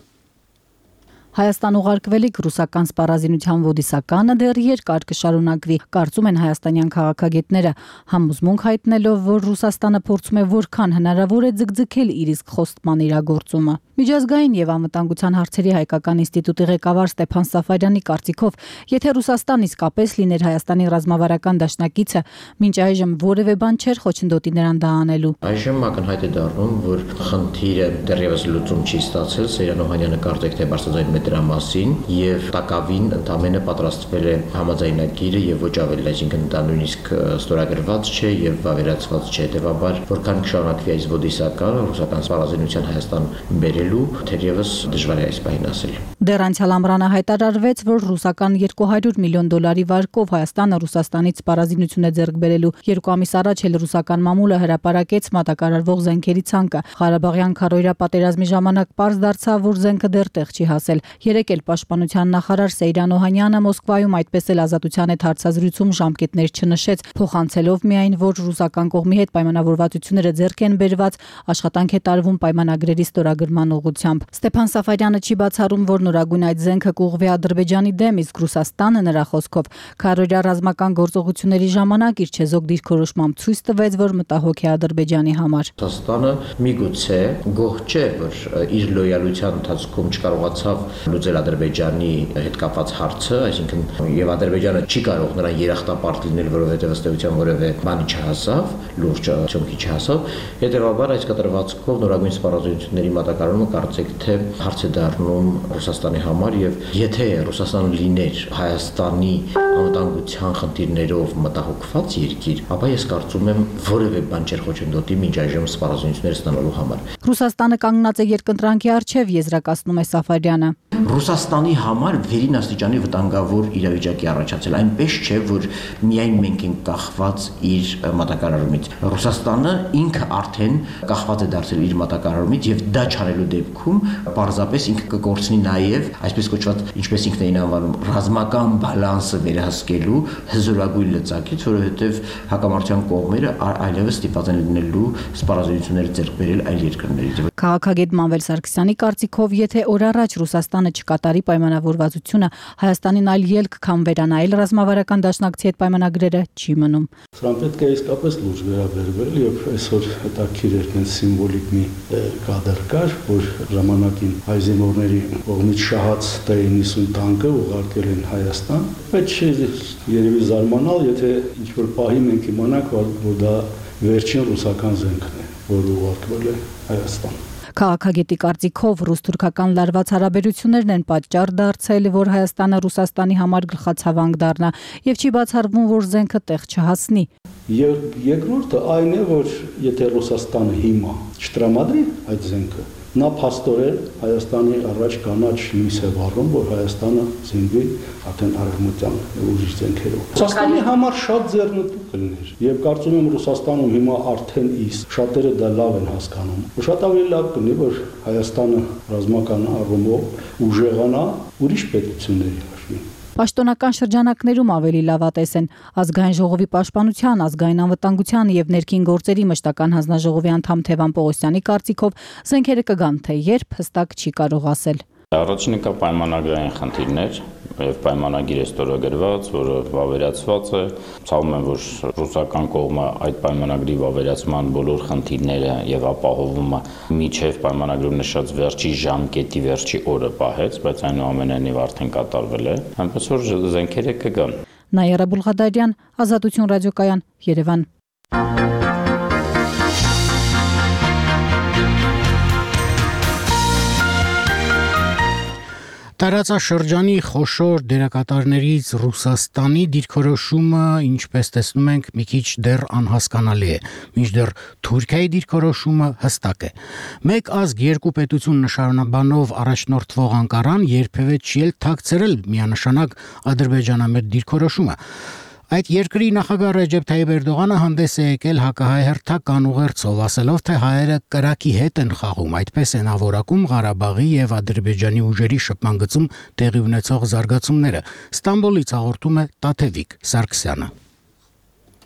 Հայաստան ուղարկվելիք ռուսական սպառազինության ոդիսականը դեռ երկար կշարունակվի, կարծում են հայաստանյան քաղաքագետները, համոզմունք հայտնելով, որ Ռուսաստանը փորձում է որքան հնարավոր է ձգձգել իր իսկ խոստման իրագործումը։ Միջազգային եւ անվտանգության հարցերի հայկական ինստիտուտի ղեկավար Ստեփան Սաֆարյանի կարծիքով, եթե Ռուսաստան իսկապես լիներ Հայաստանի ռազմավարական դաշնակիցը, մինչ այժմ որևէ բան չէր խոչընդոտի նրան դա անելու։ Այժմ ակնհայտ է դառնում, որ խնդիրը դեռևս լուծում չի ստացել, Սեյրան Օհանյանը կարծեք թե բարձրաձայն դրա մասին եւ տակավին ընդամենը պատրաստվել է համաձայնագիրը եւ ոչ ավելի, այսինքն դա նույնիսկ ստորագրված չէ եւ վավերացված չէ, հետեւաբար որքան կշարունակվի այս ոդիսականը ռուսական սպառազինության Հայաստան բերելու, թերևս դժվար է այս բանին ասել։ Դեռ անցյալ ամռանը հայտարարվեց, որ ռուսական $200 միլիոն վարկով Հայաստանը Ռուսաստանից սպառազինություն է ձեռք բերելու։ 2 ամիս առաջ էլ ռուսական մամուլը հրապարակեց մատակարարվող զենքերի ցանկը։ Ղարաբաղյան քարոյրա պատերազմի ժամանակ պարզ դարձավ, որ զենքը դեռ տեղ չի հասել։ Երեկ էլ պաշտպանության նախարար Սեյրան Օհանյանը Մոսկվայում այդպես էլ Ազատության հետ հարցազրույցում ժամկետներ չնշեց, փոխանցելով միայն, որ ռուսական կողմի հետ պայմանավորվածությունները ձեռք են բերված, աշխատանք է տարվում պայմանագրերի ստորագրման ուղղությամբ։ Ստեփան Սաֆարյանը չի բացառում, որ նորագույն այդ զենքը կուղղվի Ադրբեջանի դեմ, իսկ Ռուսաստանը նրա խոսքով քարոյրա ռազմական գործողությունների ժամանակ իր չեզոք դիրքորոշմամբ ցույց տվեց, որ մտահոգ է Ադրբեջանի համար։ Ռուսաստանը միգուցե գոհ չէ, որ իր լոյալության ընթացքում չկարողացավ լուծել Ադրբեջանի հետ կապված հարցը, այսինքն եւ Ադրբեջանը չի կարող նրան երախտապարտ լինել, որովհետեւ ըստ էության որևէ բանի չհասավ, լուրջ արդյունքի չհասավ, հետեւաբար այս կտրվածքով նորագույն սպառազինությունների մատակարարումը կարծեք թե հարց է դառնում Ռուսաստանի համար եւ եթե Ռուսաստանը լիներ Հայաստանի անվտանգության խնդիրներով մտահոգված երկիր, ապա ես կարծում եմ որևէ բան չէր խոչընդոտի մինչ այժմ սպառազինություններ ստանալու համար։ Ռուսաստանը կանգնած է երկընտրանքի առջև, եզրակացնում է Սաֆարյանը։ Ռուսաստանի համար վերին աստիճանի վտանգավոր իրավիճակի առաջացել, այնպես չէ, որ միայն մենք ենք կախված իր մատակարարումից։ Ռուսաստանը ինքը արդեն կախված է դարձել իր մատակարարումից եւ դա չարելու դեպքում պարզապես ինքը կկորցնի նաեւ, այսպես կոչված, ինչպես ինքն էին անվանում, ռազմական բալանսը վերահսկելու հզորագույն լծակից, որովհետեւ հակամարտության կողմերը այլևս ստիպված են լինելու սպառազինություններ ձեռք բերել այլ երկրներից։ Քաղաքագետ Մանվել Սարգսյանի կարծիքով, եթե օր առաջ Ռուսաստանը չկատարի պայմանավորվածությունը, Հայաստանին այլ ելք քան վերանայել ռազմավարական դաշնակցի հետ պայմանագրերը չի մնում։ Սրան պետք է իսկապես լուրջ վերաբերվել եւ այսօր հետաքրքիր էր նենց սիմվոլիկ մի կադր կար, որ ժամանակին հայ զինվորների կողմից շահած T-90 տանկը ուղարկել են Հայաստան, բայց չի երևի զարմանալ, եթե ինչ-որ պահի մենք իմանանք, որ դա վերջին ռուսական զենքն է, որը ուղարկվել է Հայաստան։ Քաղաքագետի կարծիքով ռուս-թուրքական լարված հարաբերություններն են պատճառ դարձել, որ Հայաստանը Ռուսաստանի համար գլխացավանք դառնա եւ չի բացառվում, որ զենքը տեղ չհասնի։ Երկրորդը այն է, որ եթե Ռուսաստանը հիմա չտրամադրի այդ զենքը, նա փաստորեն Հայաստանի առաջ կանաչ լույս է վառում, որ Հայաստանը զինվի արդեն արևմտյան ուրիշ զենքերով։ Ռուսաստանի համար շատ ձեռնտու կլիներ եւ կարծում եմ Ռուսաստանում հիմա արդեն իսկ շատերը դա լավ են հասկանում։ Շատ ավելի լավ կլինի, որ Հայաստանը ռազմական առումով ուժեղանա ուրիշ պետությունների հաշվին։ Պաշտոնական շրջանակներում ավելի լավատես են ազգային ժողովի պաշտպանության, ազգային անվտանգության եւ ներքին գործերի մշտական հանձնաժողովի անդամ Թևան Պողոսյանի կարծիքով զենքերը կգան, թե երբ հստակ չի կարող ասել։ Առաջինը կա պայմանագրային խնդիրներ եւ պայմանագիր է ստորագրված, որը վավերացված է։ Ցավում եմ, որ ռուսական կողմը այդ պայմանագրի վավերացման բոլոր խնդիրները եւ ապահովումը միջև պայմանագրում նշած վերջի ժամկետի վերջի օրը պահեց, բայց այնուամենայնիվ արդեն կատարվել է։ Այնպես որ զենքերը կգան։ Նայարա Բուլղադարյան, Ազատություն ռադիոկայան, Երևան։ Տարածաշրջանի խոշոր դերակատարներից Ռուսաստանի դիրքորոշումը, ինչպես տեսնում ենք, մի քիչ դեռ անհասկանալի է, մինչդեռ Թուրքիայի դիրքորոշումը հստակ է։ Մեկ ազգ երկու պետություն նշանաբանով առաջնորդվող Անկարան երբևէ չի էլ թաքցրել միանշանակ ադրբեջանամետ դիրքորոշումը։ Այդ երկրի նախագահ Ռեջեփ Թայիպ Էրդողանը հանդես է եկել հակահայ հերթական ուղերձով, ասելով, թե հայերը կրակի հետ են խաղում, այդպես են ավորակում Ղարաբաղի եւ Ադրբեջանի ուժերի շփման գծում տեղի ունեցող զարգացումները։ Ստամբուլից հաղորդում է Տաթևիկ Սարգսյանը։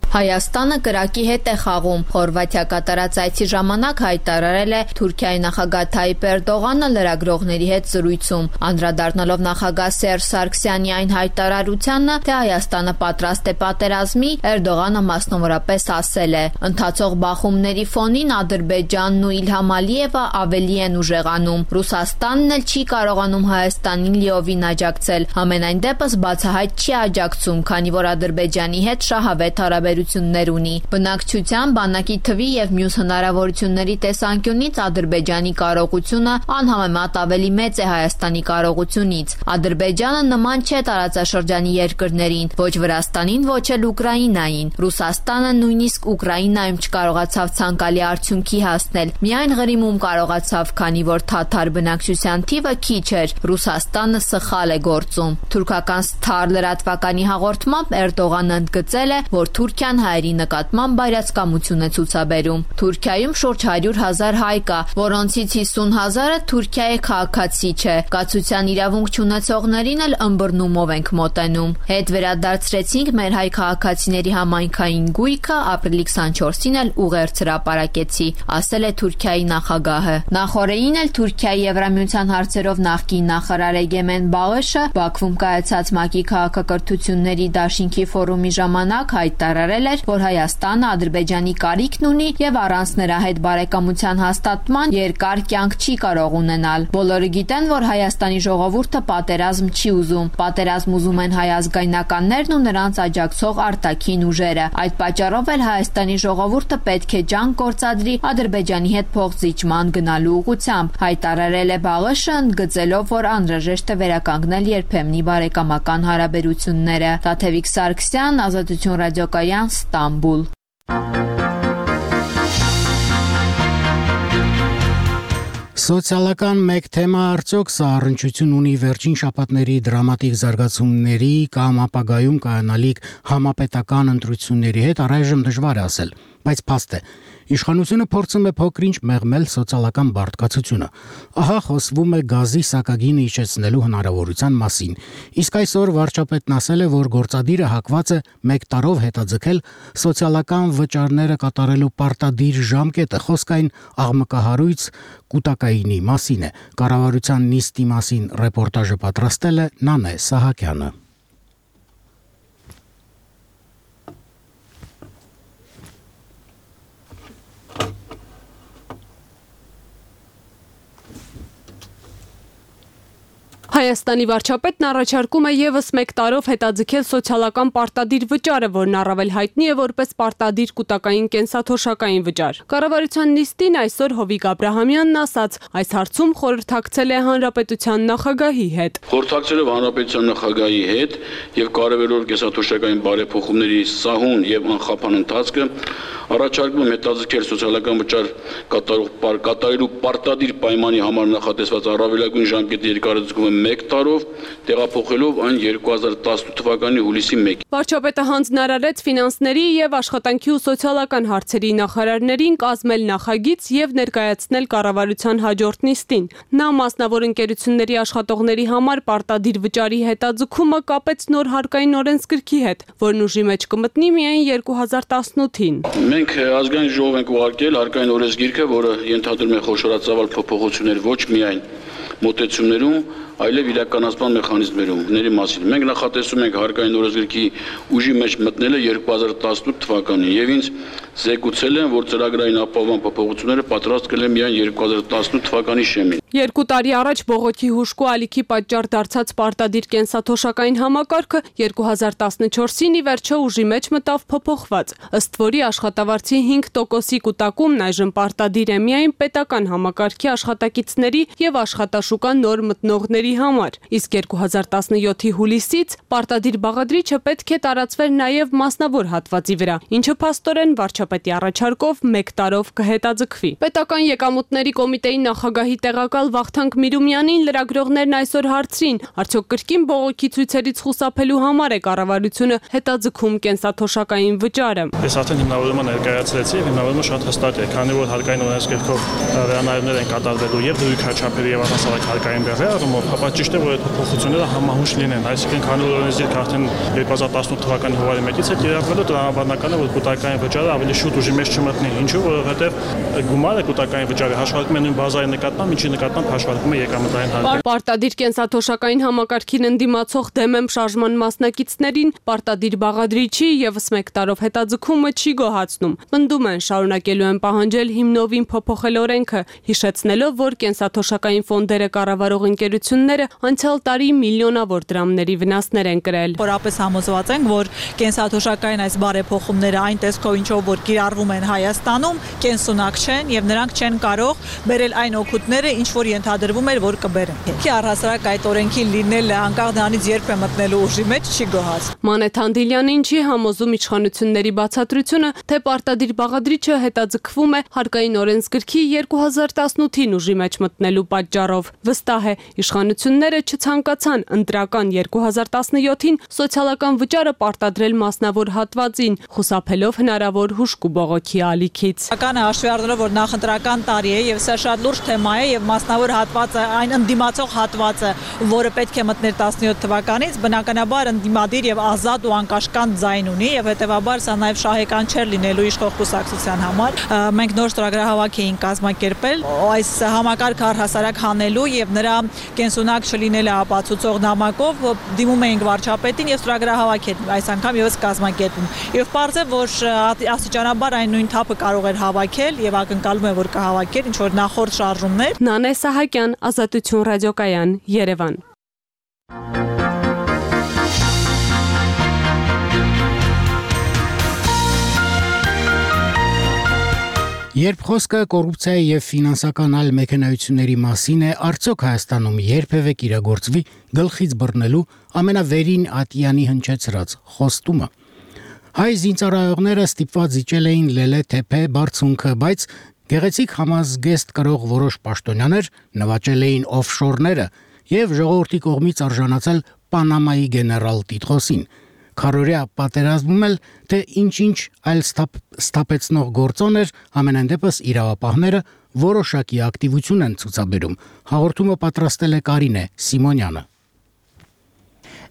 Հայաստանը կրակի հետ է խաղում։ Խորվաթիա կատարած այցի ժամանակ հայտարարել է Թուրքիայի նախագահ Թայիպ Էրդողանը լրագրողների հետ զրույցում, անդրադառնալով նախագահ Սերժ Սարգսյանի այն հայտարարությանը, թե Հայաստանը պատրաստ է պատերազմի, Էրդողանը մասնավորապես ասել է. «Ընթացող բախումների ֆոնին Ադրբեջանն ու Իլհամ Ալիևը ավելի են ուժեղանում։ Ռուսաստանն էլ չի կարողանում Հայաստանին լիովին աջակցել։ Համենայն դեպս բացահայտ չի աջակցում, քանի որ Ադրբեջանի հետ շահավետ հարաբերություններ ունի։ Բնակչության, բանակի թվի եւ մյուս հնարավորությունների տեսանկյունից Ադրբեջանի կարողությունը անհամեմատ ավելի մեծ է Հայաստանի կարողությունից։ Ադրբեջանը նման չէ տարածաշրջանի երկրներին, ոչ Վրաստանին, ոչ էլ Ուկրաինային։ Ռուսաստանը նույնիսկ Ուկրաինայում չկարողացավ ցանկալի արդյունքի հասնել։ Միայն Ղրիմում կարողացավ, քանի որ թաթար բնակչության թիվը քիչ էր։ Ռուսաստանը սխալ է գործում»։ Թուրքական Star լրատվականի հաղորդմամբ Էրդողանը ընդգծել է, որ Թուրքիան հայերի նկատմամբ բայրացկամություն է ցուցաբերում։ Թուրքիայում շուրջ 100,000 հայ կա, որոնցից 50,000-ը Թուրքիայի քաղաքացի չէ։ Կացության իրավունք չունեցողներին էլ ըմբռնումով ենք մոտենում։ Հետ վերադարձրեցինք մեր հայ քաղաքացիների համայնքային գույքը, ապրիլի 24-ին էլ ուղերձ հրապարակեցի, ասել է Թուրքիայի նախագահը։ Նախորդին էլ Թուրքիայի Եվրամիության հարցերով նախկին նախարար Էգեմեն Բաղեշը Բաքվում կայացած ՄԱԿ-ի քաղաքակրթությունների դաշինքի ֆորումի ժամանակ հայտարարել էր, որ Հայաստանը Ադրբեջանի կարիքն ունի եւ առանց նրա հետ բարեկամության հաստատման երկար կյանք չի կարող ունենալ։ Բոլորը գիտեն, որ Հայաստանի ժողովուրդը պատերազմ չի ուզում։ Պատերազմ ուզում են հայ ազգայնականներն ու նրանց աջակցող արտաքին ուժերը։ Այդ պատճառով էլ Հայաստանի ժողովուրդը պետք է ջանք գործադրի Ադրբեջանի հետ փոխզիջման գնալու ուղղությամբ, հայտարարել է Բաղեշը, ընդգծելով, որ անհրաժեշտ է վերականգնել երբեմնի բարեկամական հարաբերությունները։ Տաթևիկ Սարգսյան, Ազատություն ռադիոկայան, Ստամբուլ։ Սոցիալական մեկ թեմա արդյոք սա առնչություն ունի վերջին շաբաթների դրամատիկ զարգացումների կամ ապագայում կայանալիք համապետական ընտրությունների հետ, առայժմ դժվար է ասել, բայց փաստ է։ Իշխանությունը փորձում է փոքրինչ մեղմել սոցիալական բարդկացությունը։ Ահա խոսվում է գազի սակագինը իջեցնելու հնարավորության մասին։ Իսկ այսօր վարչապետն ասել է, որ գործադիրը հակված է 1 տարով հետաձգել սոցիալական վճարները կատարելու պարտադիր ժամկետը։ Խոսքային աղմկահարույց կուտակայինի մասին է։ Կառավարության նիստի մասին ռեպորտաժը պատրաստել է Նանե Սահակյանը։ Հայաստանի վարչապետն առաջարկում է եւս 1 տարով հետաձգել սոցիալական պարտադիր վճարը, որն առավել հայտնի է որպես պարտադիր կուտակային կենսաթոշակային վճար։ Կառավարության նիստին այսօր Հովիկ Աբրահամյանն ասաց, այս հարցում խորհրդակցել է հանրապետության նախագահի հետ։ Խորհրդակցելով հանրապետության նախագահի հետ եւ կարևորելով կենսաթոշակային բարեփոխումների սահուն եւ անխափան ընթացքը, առաջարկում եմ հետաձգել սոցիալական վճար կատարելու պարտադիր պայմանի համար նախատեսված առավելագույն ժամկետի երկարաձգումը 1 տարով, տեղափոխելով այն 2018 թվականի հուլիսի 1-ին։ Վարչապետը հանձնարարեց ֆինանսների եւ աշխատանքի ու սոցիալական հարցերի նախարարներին կազմել նախագիծ եւ ներկայացնել կառավարության հաջորդ նիստին։ Նա մասնավոր ընկերությունների աշխատողների համար պարտադիր վճարի հետաձգումը կապեց նոր հարկային օրենսգրքի հետ, որն ուժի մեջ կմտնի միայն 2018-ին։ Մենք ազգային ժողով ենք ուղարկել հարկային օրենսգիրքը, որը ենթադրում է խոշորացավալ փոփոխություններ ոչ միայն մոտեցումներում, այլև իրականացման մեխանիզմների մասին։ Մենք նախատեսում ենք հարկային օրենսգրքի ուժի մեջ մտնելը 2018 թվականին եւ ինձ զեկուցել են, որ ծրագրային ապահովման փոփոխությունները պատրաստ կլինեն միայն 2018 թվականի շեմին։ 2 տարի առաջ բողոքի հուժկու ալիքի պատճառ դարձած պարտադիր կենսաթոշակային համակարգը 2014-ին ի վերջո ուժի մեջ մտավ փոփոխված, ըստ որի աշխատավարձի 5%-ի կուտակումն այժմ պարտադիր է միայն պետական համակարգի աշխատակիցների եւ աշխատաշուկա նոր մտնողների համար, իսկ 2017-ի հուլիսից պարտադիր բաղադրիչը պետք է տարածվեր նաև մասնավոր հատվածի վրա, ինչը փաստորեն վարչապետի առաջարկով 1 տարով կհետաձգվի։ Պետական եկամուտների կոմիտեի նախագահի տեղակալ Վախթանգ Միրումյանին լրագրողներն այսօր հարցրին, արդյոք կրկին բողոքի ցույցերից խուսափելու համար է կառավարությունը հետաձգում կենսաթոշակային վճարը։ Ես արդեն հիմնավորումը ներկայացրեցի, հիմնավորումը շատ հստակ է, քանի որ հարկային օրենսգրքով վերանայումներ են կատարվելու եւ դրույքաչափերի եւ առհասարակ հարկային բեռի առումով, ապա ճիշտ է, որ այդ փոփոխությունները համահունչ լինեն, այսինքն քանի որ օրենսգիրքը արդեն 2018 թվականի հունվարի 1-ից է կիրառվելու, տրամաբանական է, որ կուտակային վճարը ավելի շուտ ուժի մեջ չմտնի, ինչու, որովհետեւ գումարը կուտակային վճարը հաշվարկում է նույն բազայի նկատմամբ, ինչի նկատմամբ հաշվարկում է եկամտային հարկը։ Պարտադիր կենսաթոշակային համակարգին ընդդիմացող դեմ եմ շարժման մասնակիցներին պարտադիր բաղադրիչի եւս 1 տարով հետաձգումը չի գոհացնում։ Պնդում են շարունակելու են պահանջել հիմնովին փոփոխել օրենքը, հիշեցնելով, որ կենսաթոշակային ֆոնդերը կառավարող ընկերությունները անցյալ տարի միլիոնավոր դրամների վնասներ են կրել։ Խորապես համոզված ենք, որ կենսաթոշակային այս բարեփոխումները այն տեսքով ինչով որ կիրառվում են Հայաստանում, կենսունակ չեն եւ նրանք չեն կարող բերել այն օգուտները, ինչ որ ենթադրվում էր, որ կբերեն։Քի առհասարակ այդ օրենքին լինելը անկախ դրանից երբ է մտնելու ուժի մեջ չի գոհաց։ Մանեթ Հանդիլյանին չի համոզում իշխանությունների բացատրությունը, թե պարտադիր բաղադրիչը հետաձգվում է հարկային օրենսգրքի 2018-ին ուժի մեջ մտնելու պատճառով։ Վստահ է, իշխանությունները չցանկացան ընտրական 2017-ին սոցիալական վճարը պարտադրել մասնավոր հատվածին, խուսափելով հնարավոր հուժկու բողոքի ալիքից։ Ականը հաշվի առնելով, որ նախընտրական տարի է եւ սա շատ լուրջ թեմա է եւ մասնավոր հատվածը, այն ընդդիմացող հատվածը, որը պետք է մտներ 17 թվականից, բնականաբար ընդդիմադիր եւ ազատ ու անկաշկանդ ձայն ունի եւ հետեւաբար սա նաեւ շահեկան չէր լինելու իշխող կուսակցության համար։ Մենք նոր ծրագրահավաք էինք կազմակերպել այս համակարգը առհասարակ հանելու եւ նրա կենսունակ չլինելը ապացուցող նամակով դիմում էինք վարչապետին եւ ծրագրահավաք այս անգամ եւս կազմակերպում։ Եվ պարզ է, որ աստիճանաբար այն նույն թափը կարող էր հավաքել եւ ակնկալում է, որ կհավաքեր ինչ որ նախորդ շարժումներ։ Նանե Սահակյան, Ազատություն ռադիոկայան, Երևան։ Երբ խոսքը կոռուպցիայի եւ ֆինանսական այլ մեքենայությունների մասին է, արդյոք Հայաստանում երբևէ կիրագործվի գլխից բռնելու ամենավերին ատյանի հնչեցրած խոստումը։ Հայ զինծառայողները ստիպված իջել էին լելե թեփե բարձունքը, բայց գեղեցիկ համազգեստ կրող որոշ պաշտոնյաներ նվաճել էին օֆշորները եւ ժողովրդի կողմից արժանացել Պանամայի գեներալ տիտղոսին։ Քարորյա պատերազմում էլ թե ինչ-ինչ այլ ստապեցնող գործոն էր, ամենայն դեպս իրավապահները որոշակի ակտիվություն են ցուցաբերում։ Հաղորդումը պատրաստել է Կարինե Սիմոնյանը։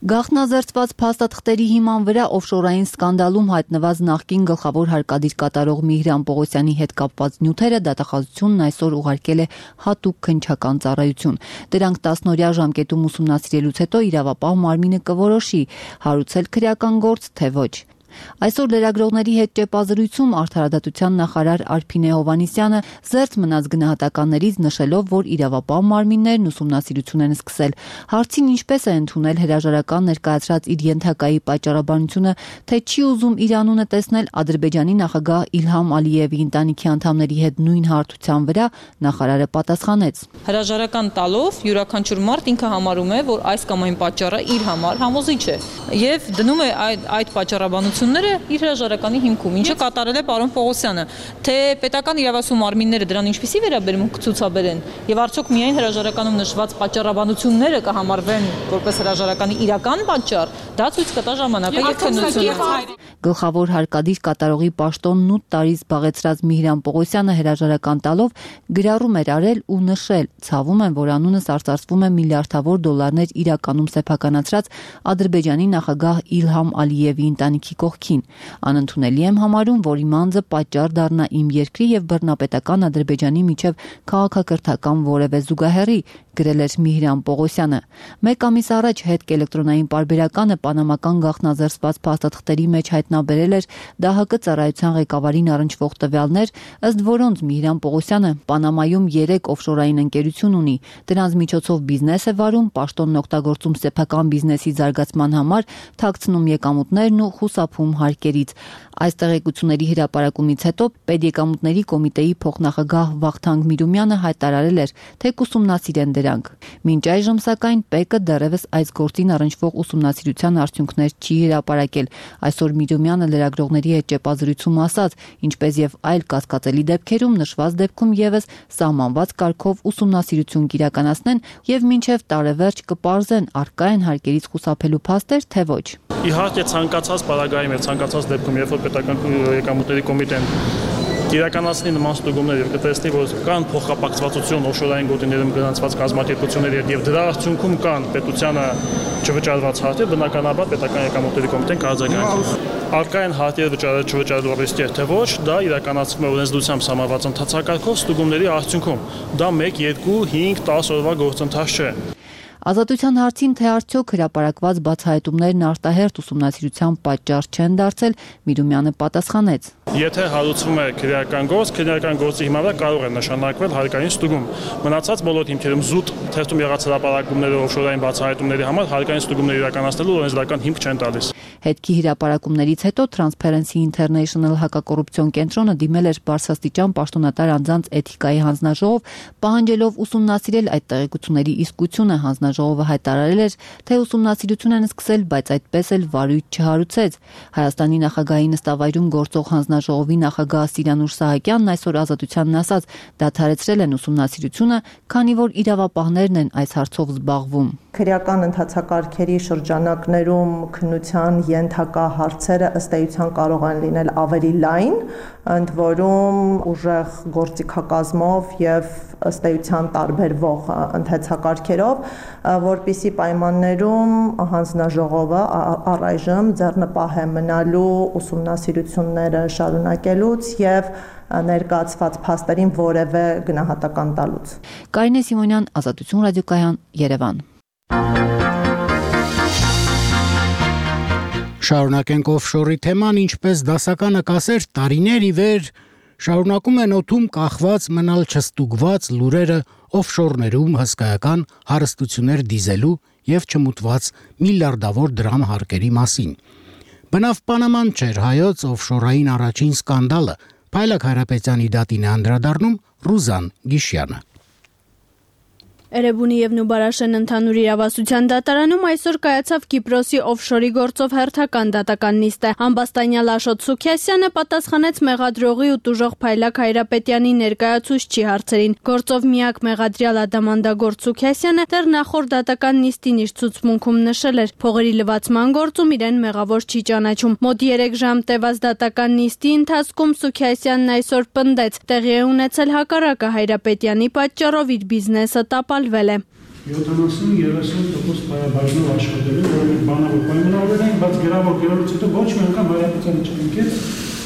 Գաղտնազերծված փաստաթղթերի հիման վրա օֆշորային սկանդալում հայտնված նախկին գլխավոր հարկադիր կատարող Միհրան Պողոսյանի հետ կապված նյութերը դատախազությունն այսօր ուղարկել է հատուկ քննչական ծառայություն։ Դրանք 10-օրյա ժամկետում ուսումնասիրելուց հետո իրավապահ մարմինը կորոշի հարուցել քրեական գործ, թե ոչ։ Այսօր լրագրողների հետ ճեպազրույցում արդարադատության նախարար Արփինե Հովհաննիսյանը զերծ մնաց գնահատականներից, նշելով, որ իրավապահ մարմիններն ուսումնասիրություն են սկսել։ Հարցին ինչպես է ընդունել հրաժարական ներկայացրած իր ենթակայի պատճառաբանությունը, թե չի ուզում իր անունը տեսնել Ադրբեջանի նախագահ Իլհամ Ալիևի ընտանիքի անդամների հետ նույն հարթության վրա, նախարարը պատասխանեց. Հրաժարական տալով յուրաքանչյուր մարդ ինքը համարում է, որ այս կամ այն պատճառը իր համար համոզիչ է եւ դնում է այդ պատճառաբանությունը գործողությունները իր հրաժարականի հիմքում, ինչը կատարել է պարոն Պողոսյանը, թե պետական իրավասու մարմինները դրան ինչպիսի վերաբերմունք կցուցաբերեն եւ արդյոք միայն հրաժարականում նշված պատճառաբանությունները կհամարվեն որպես հրաժարականի իրական պատճառ, դա ցույց կտա ժամանակը եւ քննությունը։ Գլխավոր հարկադիր կատարողի պաշտոնն 8 տարի զբաղեցրած Միհրան Պողոսյանը հրաժարական տալով գրառում էր արել ու նշել. ցավում եմ, որ անունս արծարծվում է միլիարդավոր դոլարներ իրականում սեփականացրած Ադրբեջանի նախագահ Իլհամ Ալիևի ընտանիքի կողքին։ Անընդունելի եմ համարում, որ իմ անձը պատճառ դառնա իմ երկրի եւ բռնապետական Ադրբեջանի միջև քաղաքակրթական որևէ զուգահեռի, գրել էր Միհրան Պողոսյանը։ Մեկ ամիս առաջ հետք էլեկտրոնային պարբերականը պանամական գաղտնազերծված փաստաթղթերի մեջ հայտնաբերել էր ԴՀԿ ծառայության ղեկավարին առնչվող տվյալներ, ըստ որոնց Միհրան Պողոսյանը Պանամայում 3 օֆշորային ընկերություն ունի, դրանց միջոցով բիզնես է վարում, պաշտոնն օգտագործում սեփական բիզնեսի զարգացման համար, թաքցնում եկամուտներն ու խուսափում հարկերից։ Այս տեղեկությունների հրապարակումից հետո Պետեկամուտների կոմիտեի փոխնախագահ Վախթանգ Միրումյանը հայտարարել էր, թե կուսումնասիրեն դրանք։ Մինչ այժմ սակայն ՊԵԿ-ը դեռևս այս գործին առնչվող ուսումնասիրության արդյունքներ չի հրապարակել։ Այսօր Միրումյանը լրագրողների հետ ճեպազրույցում ասաց, ինչպես եւ այլ կասկածելի դեպքերում նշված դեպքում եւս սահմանված կարգով ուսումնասիրություն կիրականացնեն եւ մինչեւ տարեվերջ կպարզեն առկա են հարկերից խուսափելու փաստեր, թե ոչ։ Իհարկե ցանկացած պարագայում եւ ցանկացած դեպքում, երբ որ պետական եկամուտների կոմիտեն իրականացնի նման ստուգումներ եւ կտեսնի, որ կան փոխկապակցվածություն օֆշորային գոտիներում գրանցված կազմակերպությունների հետ եւ դրա արդյունքում կան պետությանը չվճարված հարթեր, բնականաբար պետական եկամուտների կոմիտեն կարձագանքի։ Առկա են հարթեր չվճարելու ռիսկեր, թե ոչ, դա իրականացվում է օրենսդրությամբ սահմանված ընթացակարգով ստուգումների արդյունքում։ Դա 1, 2, 5, 10 օրվա գործընթաց չէ։ Ազատության հարցին, թե արդյոք հրապարակված բացահայտումներն արտահերթ ուսումնասիրության պատճառ չեն դարձել, Միրումյանը պատասխանեց. Եթե հարուցվում է քրեական գործի հիման վրա կարող է նշանակվել հարկային ստուգում։ Մնացած բոլոր հիմքերում զուտ թերթում եղած հրապարակումները օֆշորային բացահայտումների համար հարկային ստուգումներ իրականացնելու օրենսդրական հիմք չեն տալիս։ Հետքի հրապարակումներից հետո Transparency International հակակոռուպցիոն կենտրոնը դիմել էր բարձրաստիճան պաշտոնատար անձանց էթիկայի հանձնաժողով, պահանջելով ուսումնասիրել այդ տեղեկությունների իսկությունը։ Հանձնաժողովը հայտարարել էր, թե ուսումնասիրություն են սկսել, բայց այդպես էլ վարույթ չհարուցեց։ Հայաստանի նախագահի նստավայրում գործող հանձնաժողովի նախագահ Սիրանուշ Սահակյանն այսօր Ազատությանն ասաց, դադարեցրել են ուսումնասիրությունը, քանի որ իրավապահներն են այս հարցով զբաղվում։ Քրեական ընթացակարգերի շրջանակներում քննության ենթակա հարցերը ըստ էության կարող են լինել ավելի լայն, ընդ որում ուժեղ գործիքակազմով եւ ըստ էության տարբերվող ընթացակարգերով, որպիսի պայմաններում հանձնաժողովը առայժմ ձեռնպահ է մնալու ուսումնասիրությունները շարունակելուց եւ ներկայացված փաստերին որևէ գնահատական տալուց։ Կարինե Սիմոնյան, Ազատություն ռադիոկայան, Երևան։ Շարունակենք օֆշորի թեման, ինչպես դասականը կասեր, տարիներ ի վեր շարունակում են օդում կախված մնալ չստուգված լուրերը օֆշորներում հսկայական հարստություններ դիզելու եւ չմուտված միլիարդավոր դրամ հարկերի մասին։ Բնավ Պանաման չէր հայոց օֆշորային առաջին սկանդալը, Փայլակ Հարապետյանի դատին է անդրադառնում Ռուզան Գիշյանը։ Էրեբունի եւ Նուբարաշեն ընդհանուր իրավասության դատարանում այսօր կայացավ Կիպրոսի օֆշորի գործով հերթական դատական նիստը։ Ամբաստանյալ Աշոտ Սուքիասյանը պատասխանեց մեղադրողի ու տուժող Փայլակ Հայրապետյանի ներկայացուցչի հարցերին։ Գործով միակ մեղադրյալ ադամանդագործ Սուքիասյանը դեռ նախորդ դատական նիստին իր ցուցմունքում նշել էր, փողերի լվացման գործում իրեն մեղավոր չի ճանաչում։ Մոտ 3 ժամ տևած դատական նիստի ընթացքում Սուքիասյանն այսօր պնդեց, տեղի է ունեցել հակառակը Հայրապետյանի պատճառով իր բիզնեսը տապալվել է։ 70-30% պայաբաժնով աշխատելու, որովհետև բանավոր պայմանավորվել են, բայց գրավոր գրելուց հետո ոչ մի անգամ Հայրապետյանը չընկեց։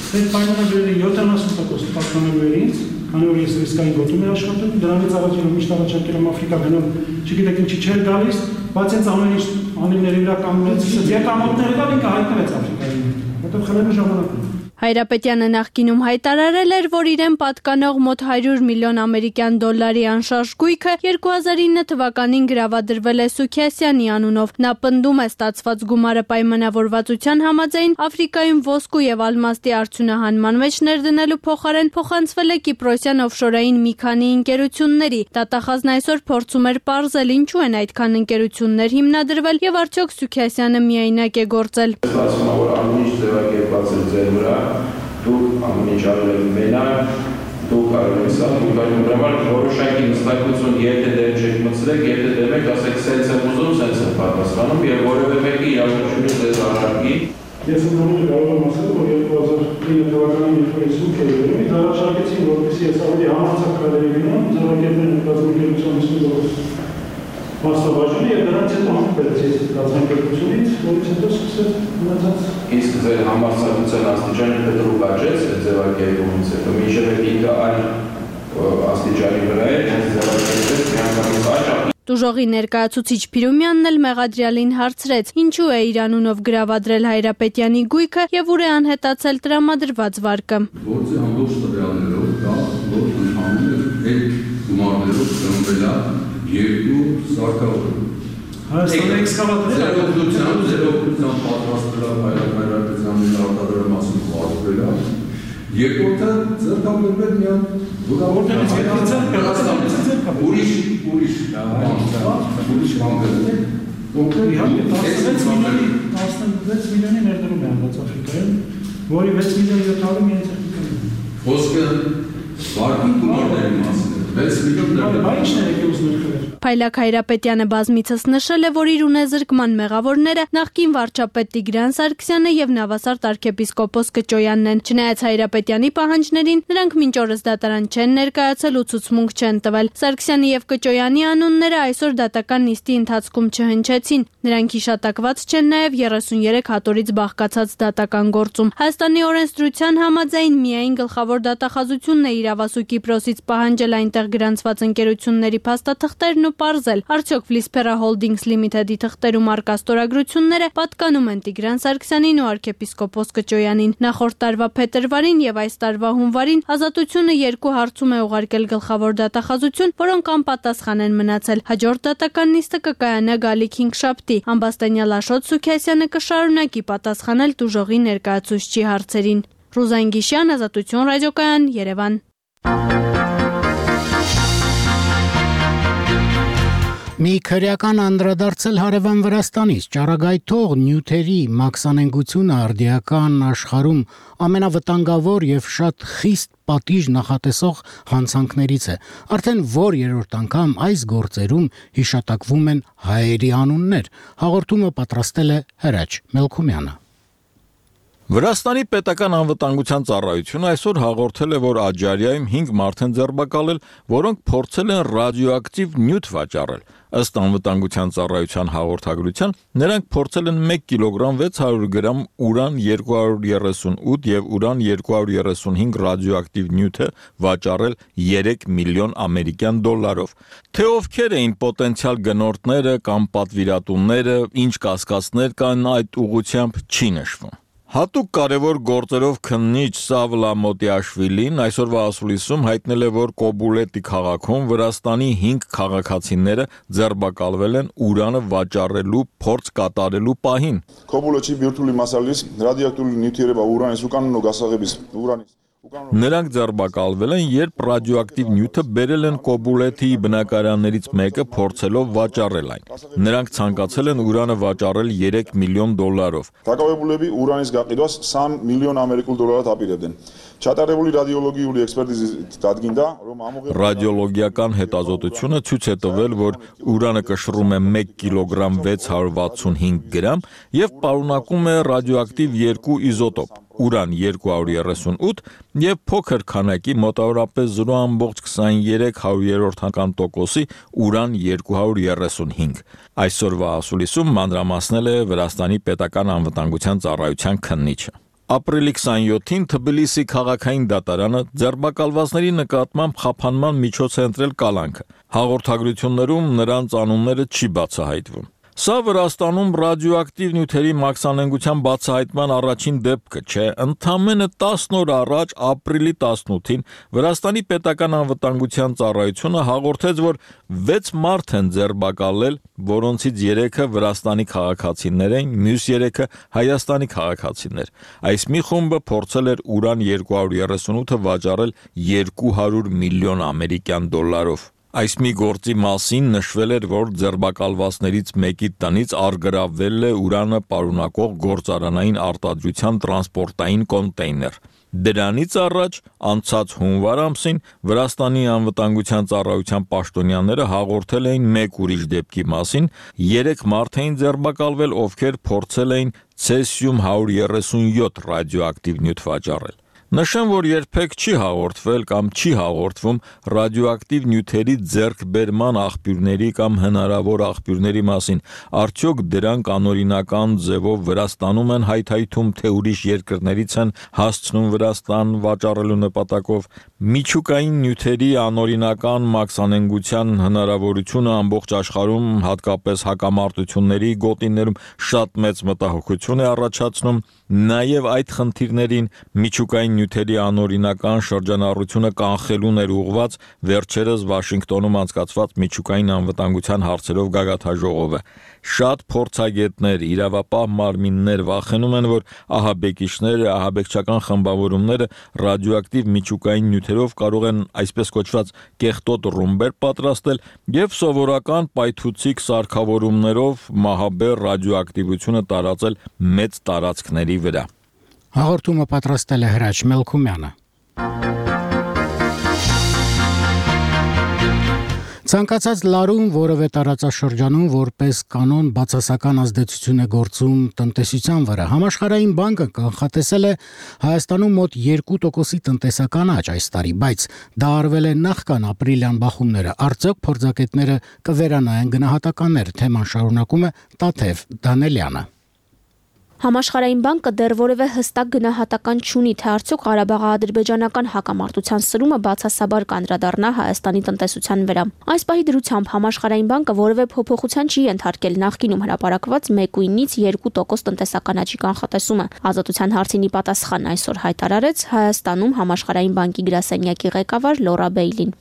Այդ պայմանավորների 70% պատկանելու էր ինձ, քանի որ ես ռիսկային գոտում եմ աշխատում, դրանից առաջ միշտ առաջարկել եմ Աֆրիկա գնալ, չգիտեք ինչի չէր գալիս, բայց այս ամեն ինչ անիմների վրա կանգնեցից, եկամուտները կան ինքը հայտնվեց Աֆրիկայում, որտեղ խլելու ժամանակ։ Հայրապետյանը նախկինում հայտարարել էր, որ իրեն պատկանող մոտ 100 միլիոն ամերիկյան դոլարի անշարժ գույքը 2009 թվականին գրավադրվել է Սուքիասյանի անունով։ Նա պնդում է ստացված գումարը պայմանավորվածության համաձայն Աֆրիկայում ոսկու եւ ալմաստի արդյունահանման մեջ ներդնելու փոխարեն փոխանցվել է կիպրոսյան օֆշորային մի քանի ընկերությունների։ Դատախազն այսօր փորձում էր պարզել, ինչու են այդքան ընկերություններ հիմնադրվել եւ արդյոք Սուքիասյանը միայնակ է գործել։ ձեր վրա, դուք ամեն ինչ արել եք մենակ, դուք արել եք սա, դուք արել եք համար որոշակի նստակություն եթե դեր չեք մտցրեք, եթե դեմ եք, ասեք սենց եմ ուզում, սենց եմ պատասխանում եւ որևէ մեկի իրավունքներից ձեզ առարկի։ Ես ընդհանուր կարող եմ ասել, որ 2009 թվականին երբ Facebook էր եղել, ինձ առաջարկեցին, որպեսզի ես ավելի համարձակ քայլերի գնամ, ձեռնարկել կազմակերպության մասնաբաժինը եւ դրանից հետո հանդիպեց ես կազմակերպությունից, որից հետո սկսեց մնացած։ Իսկ ձեր համարձակության աստիճանը կտրուկ աճեց այդ ձեռնարկումից հետո, մինչև ինքը այլ աստիճանի վրա էր, հենց ձեռնարկեց միանգամից աճ։ Տուժողի ներկայացուցիչ Փիրումյանն էլ մեղադրյալին հարցրեց, ինչու է իր անունով գրավադրել Հայրապետյանի գույքը եւ ուր է անհետացել տրամադրված վարկը։ Գործի ամբողջ տվյալներով դա որ ընդհանուր է այդ գումարներով ծնվել է երկու սարքավորում։ Հայաստանի էքսկավատորը ձեր օգնությամբ պատրաստվել է Հայրապետյանի արտադրամասում վարկվել է։ Երկրորդը ձեռքաբերվել միան որտեղից ուրիշ բանկերից իհարկե 16 միլիոնի ներդրում է անդած Աֆրիկայում, որի 6 միլիոն 700 միայն ցերտիկային։ Խոսքը վարկի գումարների մասին է, 6 միլիոն ներդրում։ Բայց ինչն է եկել ներքվել։ Փայլակ Հայրապետյանը բազմիցս նշել է, որ իր ունեզրկման մեղավորները նախկին վարչապետ Տիգրան Սարգսյանը եւ Նավասարդ arczepiskopos Կճոյանն են։ Չնայած Հայրապետյանի պահանջներին, նրանք մինչ օրս դատարան չեն ներկայացել ու ցուցմունք չեն տվել։ Սարգսյանի եւ Կճոյանի անունները այսօր դատական նիստի ընթացքում չհնչեցին։ Նրանք հիշատակված չեն նաեւ 33 հատորից բաղկացած դատական գործում։ Հայաստանի օրենսդրության համաձայն միայն գլխավոր դատախազությունն է իրավասու Կիպրոսից պահանջել այնտեղ գրանցված ընկերությունների փաստաթղթերն ու պարզել, արդյոք Վլիսփերա Holdings Limited-ի թղթերում առկա ստորագրությունները պատկանում են Տիգրան Սարգսյանին ու arczepiskopos Կճոյանին։ Նախորդ տարվա փետրվարին եւ այս տարվա հունվարին Ազատությունը երկու հարցում է ուղարկել գլխավոր դատախազություն, որոնք անպատասխան են մնացել։ Հաջորդ դատական նիստը կկայանա գալիք 5 շաբթի։ Ամբաստանյալ Աշոտ Սուքիասյանը կշարունակի պատասխանել տուժողի ներկայացուցչի հարցերին։ Ռուզան Գիշյան, Ազատություն ռադիոկայան, Երևան։ Մի քրեական անդրադարձել հարևան Վրաստանից ճառագայթող նյութերի մաքսանենգությունը արդիական աշխարհում ամենավտանգավոր եւ շատ խիստ պատիժ նախատեսող հանցանքներից է։ Արդեն որ երրորդ անգամ այս գործերում հիշատակվում են հայերի անուններ։ Հաղորդումը պատրաստել է Հրաչ Մելքումյանը։ Վրաստանի պետական անվտանգության ծառայությունը այսօր հաղորդել է, որ Աջարիայում 5 մարդ են ձերբակալել, որոնք փորձել են ռադիոակտիվ նյութ վաճառել։ Ըստ անվտանգության ծառայության հաղորդագրության, նրանք փորձել են 1 կիլոգրամ 600 գրամ ուրան 238 եւ ուրան 235 ռադիոակտիվ նյութը վաճառել 3 միլիոն ամերիկյան դոլարով։ Թե ովքեր էին պոտենցիալ գնորդները կամ պատվիրատուները, ինչ կասկածներ կան այդ ուղղությամբ չի նշվում։ Հատուկ կարևոր գործերով քննիչ Սավլա Մոտիաշվիլին այսօրվա ասուլիսում հայտնել է, որ Կոբուլետի քաղաքում Վրաստանի 5 քաղաքացիները ձերբակալվել են ուրանը վաճառելու փորձ կատարելու պահին։ Կոբուլետի բյուրթուլի մասալիս ռադիոակտիվ նյութերը ուրանի սուկանն ու գասաղեբիս ուրանի Նրանք ձերբակալվել են, երբ ռադիոակտիվ նյութը բերել են Կոբուլեթի բնակարաններից մեկը փորձելով վաճառել այն։ Նրանք ցանկացել են ուրանը վաճառել 3 միլիոն դոլարով։ Թակավեբուլեբի ուրանից գաղիդոս 20 միլիոն ամերիկულ դոլարը տապիրեդեն։ Չատարևուլի ռադիոլոգիուլի էքսպերտիզի դատգինդա Ռադիոլոգիական հետազոտությունը ցույց է տվել, որ ուրանը կշռում է 1 կիլոգրամ 665 գրամ եւ պարունակում է ռադիոակտիվ 2 իզոտոպ՝ ուրան 238 եւ փոքր քանակի մոտավորապես 0.23%-ի ուրան 235։ Այսօրվա ասուլիսում մանրամասնել է Վրաստանի պետական անվտանգության ծառայության քննիչը։ Ապրիլի 27-ին Թբիլիսի քաղաքային դատարանը ձերբակալվածների նկատմամբ խափանման միջոց է ընտրել կալանքը։ Հաղորդագրություններում նրանց անունները չի բացահայտվում։ Սա Վրաստանում ռադիոակտիվ նյութերի մաքսանենգության բացահայտման առաջին դեպքը չէ։ Ընդամենը 10 օր առաջ ապրիլի 18-ին Վրաստանի պետական անվտանգության ծառայությունը հաղորդեց, որ 6 մարդ են ձերբակալել, որոնցից 3-ը Վրաստանի քաղաքացիներ են, մյուս 3-ը Հայաստանի քաղաքացիներ։ Այս մի խումբը փորձել էր ուրան 238-ը վաճառել 200 միլիոն ամերիկյան դոլարով։ Այս մի գործի մասին նշվել էր, որ ձերբակալվածներից մեկի տնից առգրավվել է ուրանը պարունակող գործարանային արտադրության տրանսպորտային կոնտեյներ։ Դրանից առաջ անցած հունվար ամսին Վրաստանի անվտանգության ծառայության պաշտոնյաները հաղորդել էին մեկ ուրիշ դեպքի մասին, 3 մարդ էին ձերբակալվել, ովքեր փորձել էին ցեսիում 137 ռադիոակտիվ նյութ վաճառել։ Նշեմ, որ երբեք չի հաղորդվել կամ չի հաղորդվում ռադիոակտիվ նյութերի ձեռքբերման աղբյուրների կամ հնարավոր աղբյուրների մասին, արդյոք դրանք անօրինական ձևով Վրաստանում են հայթայթում, թե ուրիշ երկրներից են հասցնում Վրաստան վաճառելու նպատակով։ Միջուկային նյութերի անօրինական մաքսանենգության հնարավորությունը ամբողջ աշխարհում, հատկապես հակամարտությունների գոտիներում շատ մեծ մտահոգություն է առաջացնում, նաև այդ խնդիրներին միջուկային նյութերի անօրինական շրջանառությունը կանխելուն էր ուղղված վերջերս Վաշինգտոնում անցկացված միջուկային անվտանգության հարցերով գագաթնաժողովը։ Շատ փորձագետներ, իրավապահ մարմիններ վախենում են, որ ահաբեկիչները, ահաբեկչական խմբավորումները ռադիոակտիվ միջուկային նյութերով կարող են այսպես կոչված կեղտոտ ռումբեր պատրաստել եւ սովորական պայթուցիկ սարքավորումներով մահաբեր ռադիոակտիվությունը տարածել մեծ տարածքների վրա։ Հաղորդումը պատրաստել է Հրաչ Մելքումյանը։ Ցանկացած լարում որևէ տարածաշրջանում որպես կանոն բացասական ազդեցություն է գործում տնտեսության վրա։ Համաշխարհային բանկը կանխատեսել է Հայաստանում մոտ 2% տնտեսական աճ այս տարի, բայց դա արվել է նախքան ապրիլյան բախումները։ Արդյոք փորձագետները կվերանայեն գնահատականներ, թեման շարունակում է Տաթև Դանելյանը։ Համաշխարհային բանկը դեռ որևէ հստակ գնահատական չունի, թե արդյոք Ղարաբաղի-ադրբեջանական հակամարտության սրումը բացասաբար կանդրադառնա Հայաստանի տնտեսության վրա։ Այս պահի դրությամբ Համաշխարհային բանկը որևէ փոփոխության չի ենթարկել նախկինում հրապարակված 1.9-ից 2% տնտեսական աճի կանխատեսումը։ Ազատության հարցին ի պատասխան այսօր հայտարարեց Հայաստանում Համաշխարհային բանկի գրասենյակի ղեկավար Լորա Բեյլին։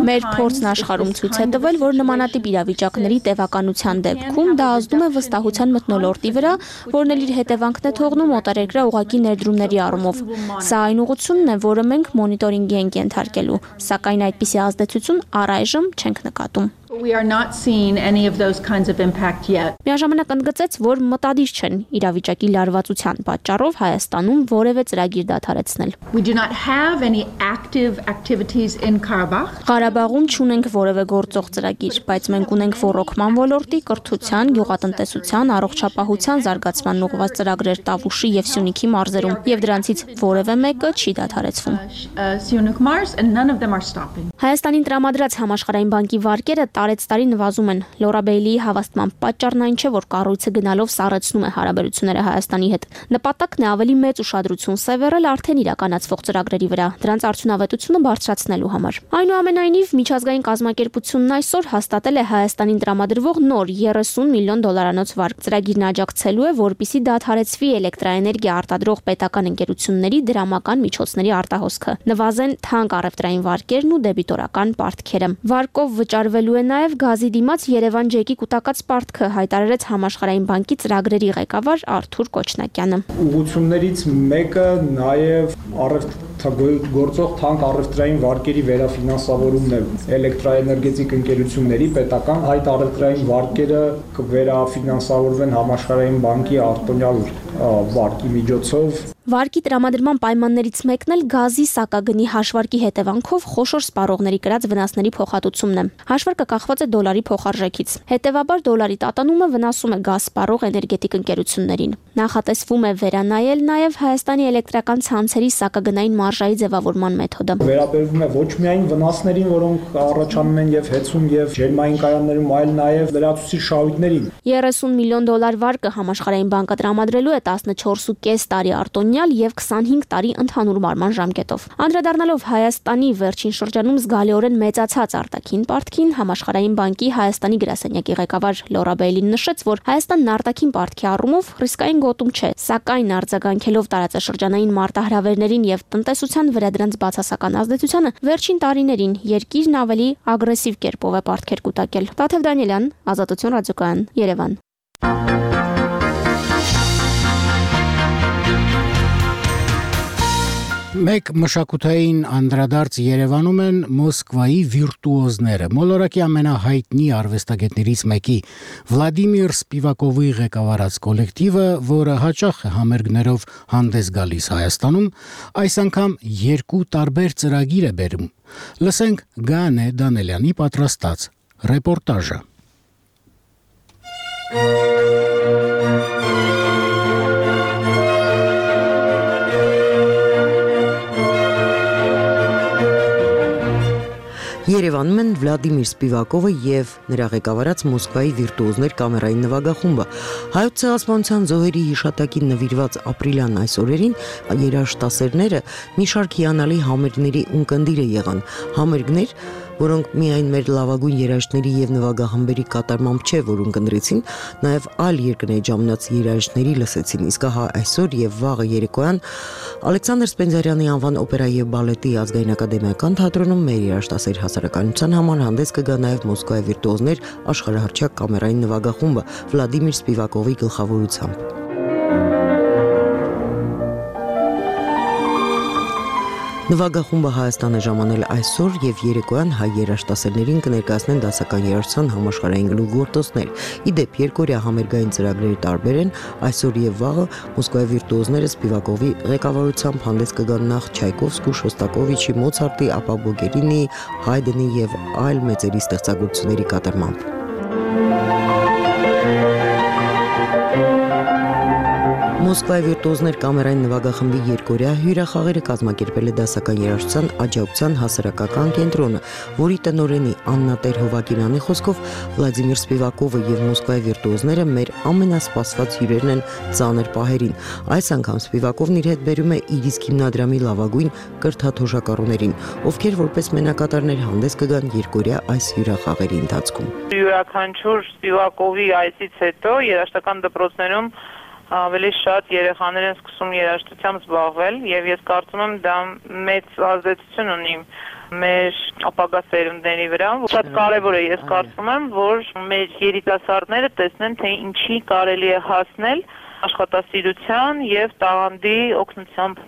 Մեր փորձն աշխարհում ցույց է տվել, որ նմանատիպ իրավիճակների տևականության դեպքում դա ազդում է վստահության մթնոլորտի վրա, որն էլ իր հետևանքն է թողնում օտարերկրյա ուղղակի ներդրումների առումով։ Սա այն ուղղությունն է, որը մենք մոնիտորինգի ենք ենթարկելու, սակայն այդպիսի ազդեցություն առայժմ չենք նկատում։ Միաժամանակ ընդգծեց, որ մտադիր չեն իրավիճակի լարվածության պատճառով Հայաստանում որևէ ծրագիր դադարեցնել։ Ղարաբաղում չունենք որևէ գործող ծրագիր, բայց մենք ունենք ռոռոկման ոլորտի, կրթության, գյուղատնտեսության, առողջապահության զարգացման ուղղված ծրագրեր Տավուշի եւ Սյունիքի մարզերում, եւ դրանցից որևէ մեկը չի դադարեցվում։ Հայաստանին տրամադրած Համաշխարհային բանկի վարկերը տարեցտարի նվազում են։ Լորա Բեյլիի հավաստման պատճառն այն չէ, որ կառույցը գնալով սառեցնում է հարաբերությունները Հայաստանի հետ։ Նպատակն է ավելի մեծ ուշադրություն սևեռել արդեն իրականացվող ծրագրերի վրա, դրանց արդյունավետությունը բարձրացնելու համար։ Այնուամենայնիվ, միջազգային կազմակերպությունն այսօր հաստատել է Հայաստանին տրամադրվող նոր $30 միլիոն վարկ։ Ծրագիրն աջակցելու է, որպիսի դադարեցվի էլեկտրաէներգիա արտադրող պետական ընկերությունների դրամական միջոցների արտահոսքը, նվազեն թանկ առևտրային վարկերն ու դեբիտորական պարտքերը։ Վարկով վճարվելու է նաև գազի դիմաց Երևան ջեկի կൂട്ടակած պարտքը, հայտարարեց Համաշխարհային բանկի ծրագրերի ղեկավար Արթուր Կոչնակյանը։ Ուղղություններից մեկը նաև գործող թանկ առևտրային վարկերի վերաֆինանսավորումն է։ Էլեկտրաէներգետիկ ընկերությունների պետական հայտ առևտրային վարկերը կվերաֆինանսավորվեն Համաշխարհային բանկի արտոնյալ վարկի միջոցով։ Վարկի տրամադրման պայմաններից մեկն էլ գազի սակագնի հաշվարկի հետևանքով խոշոր սպառողների կրած վնասների փոխհատուցումն է։ Հաշվարկը կախված է դոլարի փոխարժեքից։ Հետևաբար դոլարի տատանումը վնասում է գազ սպառող էներգետիկ ընկերություններին։ Նախատեսվում է վերանայել նաև Հայաստանի էլեկտրական ցանցերի սակագնային մարժայի ձևավորման մեթոդը։ Վերաբերվում է ոչ միայն վնասներին, որոնք առաջանում են եւ հեծում եւ ջերմային կայաններում, այլ նաև լրացուցիչ շահույթներին։ $30 միլիոն վարկը Համաշխարհային բանկը տրամադրելու է 14.5 տարի արտոնյալ եւ 25 տարի ընդհանուր մարման ժամկետով։ Անդրադառնալով Հայաստանի վերջին շրջանում զգալիորեն մեծացած արտաքին պարտքին, Համաշխարհային բանկի Հայաստանի գրասենյակի ղեկավար Լորա Բեյլին նշեց, որ Հայաստանն արտաքին պարտքի առումով ռիսկային գոտում չէ, սակայն արձագանքելով տարածաշրջանային մարտահրավերներին եւ տնտեսության վրա դրանց բացասական ազդեցությանը, վերջին տարիներին երկիրն ավելի ագրեսիվ կերպով է պարտքեր կուտակել։ Տաթև Դանիելյան, Ազատություն ռադիոկայան, Երևան։ Մեկ մշակութային անդրադարձ Երևանում են Մոսկվայի վիրտուոզները։ Մոլորակի ամենահայտնի արվեստագետներից մեկի Վլադիմիր Սպիվակովի ղեկավարած կոլեկտիվը, որը հաճախ է համերգներով հանդես գալիս Հայաստանում, այս անգամ 2 տարբեր ծրագիր է բերում։ Լսենք Գանե Դանելյանի պատրաստած ռեպորտաժը։ Երևանում են Վլադիմիր Սպիվակովը եւ նրա ղեկավարած Մոսկվայի վիրտուոզներ կամերային նվագախումբը։ Հայոց ցեղասպանության զոհերի հիշատակին նվիրված ապրիլյան այս օրերին երաժշտասերները մի շարք հիանալի համերգների ունկնդիրը եղան։ Համերգներ, որոնք միայն մեր լավագույն երաժիշտների եւ նվագախմբերի կատարմամբ չէ, որ ունկնդրեցին, նաեւ այլ երկրների ժամանած երաժիշտների լսեցին։ Իսկ հա այսօր եւ վաղը երեկոյան Ալեքսանդր Սպենդիարյանի անվան օպերայի եւ բալետի ազգային ակադեմիական թատրոնում մեր երաժշտասեր հասարակայնության համար հանդես կգա նաեւ Մոսկվայի վիրտուոզներ աշխարհահռչակ կամերային նվագախումբը Վլադիմիր Սպիվակովի գլխավորությամբ։ Նվագախումբը Հայաստան է ժամանել այսօր եւ երեկոյան հայ երաժշտասերներին կներկայացնեն դասական երաժշտության համաշխարհային գլուխգործոցներ։ Իդեպ երկօրյա համերգային ծրագրերի տարբեր են, այսօր եւ վաղը Մոսկվայի վիրտուոզները Սպիվակովի ղեկավարությամբ հանդես կգան նախ Չայկովսկու, Շոստակովիչի, Մոցարտի, ապա Բոգերինի, Հայդենի եւ այլ մեծերի ստեղծագործությունների կատարմամբ։ Մոսկվայի վիրտուոզներ կամերային նվագախմբի երկօրյա հյուրախաղերը կազմակերպել է դասական երաժշտության աջակցության հասարակական կենտրոնը, որի տնօրենի Աննա Տեր-Հովակիմյանի խոսքով Վլադիմիր Սպիվակովը եւ Մոսկվայի վիրտուոզները մեր ամենասպասված հյուրերն են ծանր պահերին։ Այս անգամ Սպիվակովն իր հետ բերում է իր իսկ հիմնադրամի լավագույն կրթաթոշակառուներին, ովքեր որպես մենակատարներ հանդես կգան երկօրյա այս հյուրախաղերի ընթացքում։ Յուրաքանչյուր Սպիվակովի այսից հետո երաժշտական դպրոցներում ավելի շատ երեխաներ են սկսում երաժշտությամբ զբաղվել եւ ես կարծում եմ դա մեծ ազդեցություն ունի մեր ապագա սերունդների վրա։ Շատ կարեւոր է, ես կարծում եմ, որ մեր երիտասարդները տեսնեն, թե ինչի կարելի է հասնել աշխատասիրության եւ տաղանդի օգնությամբ։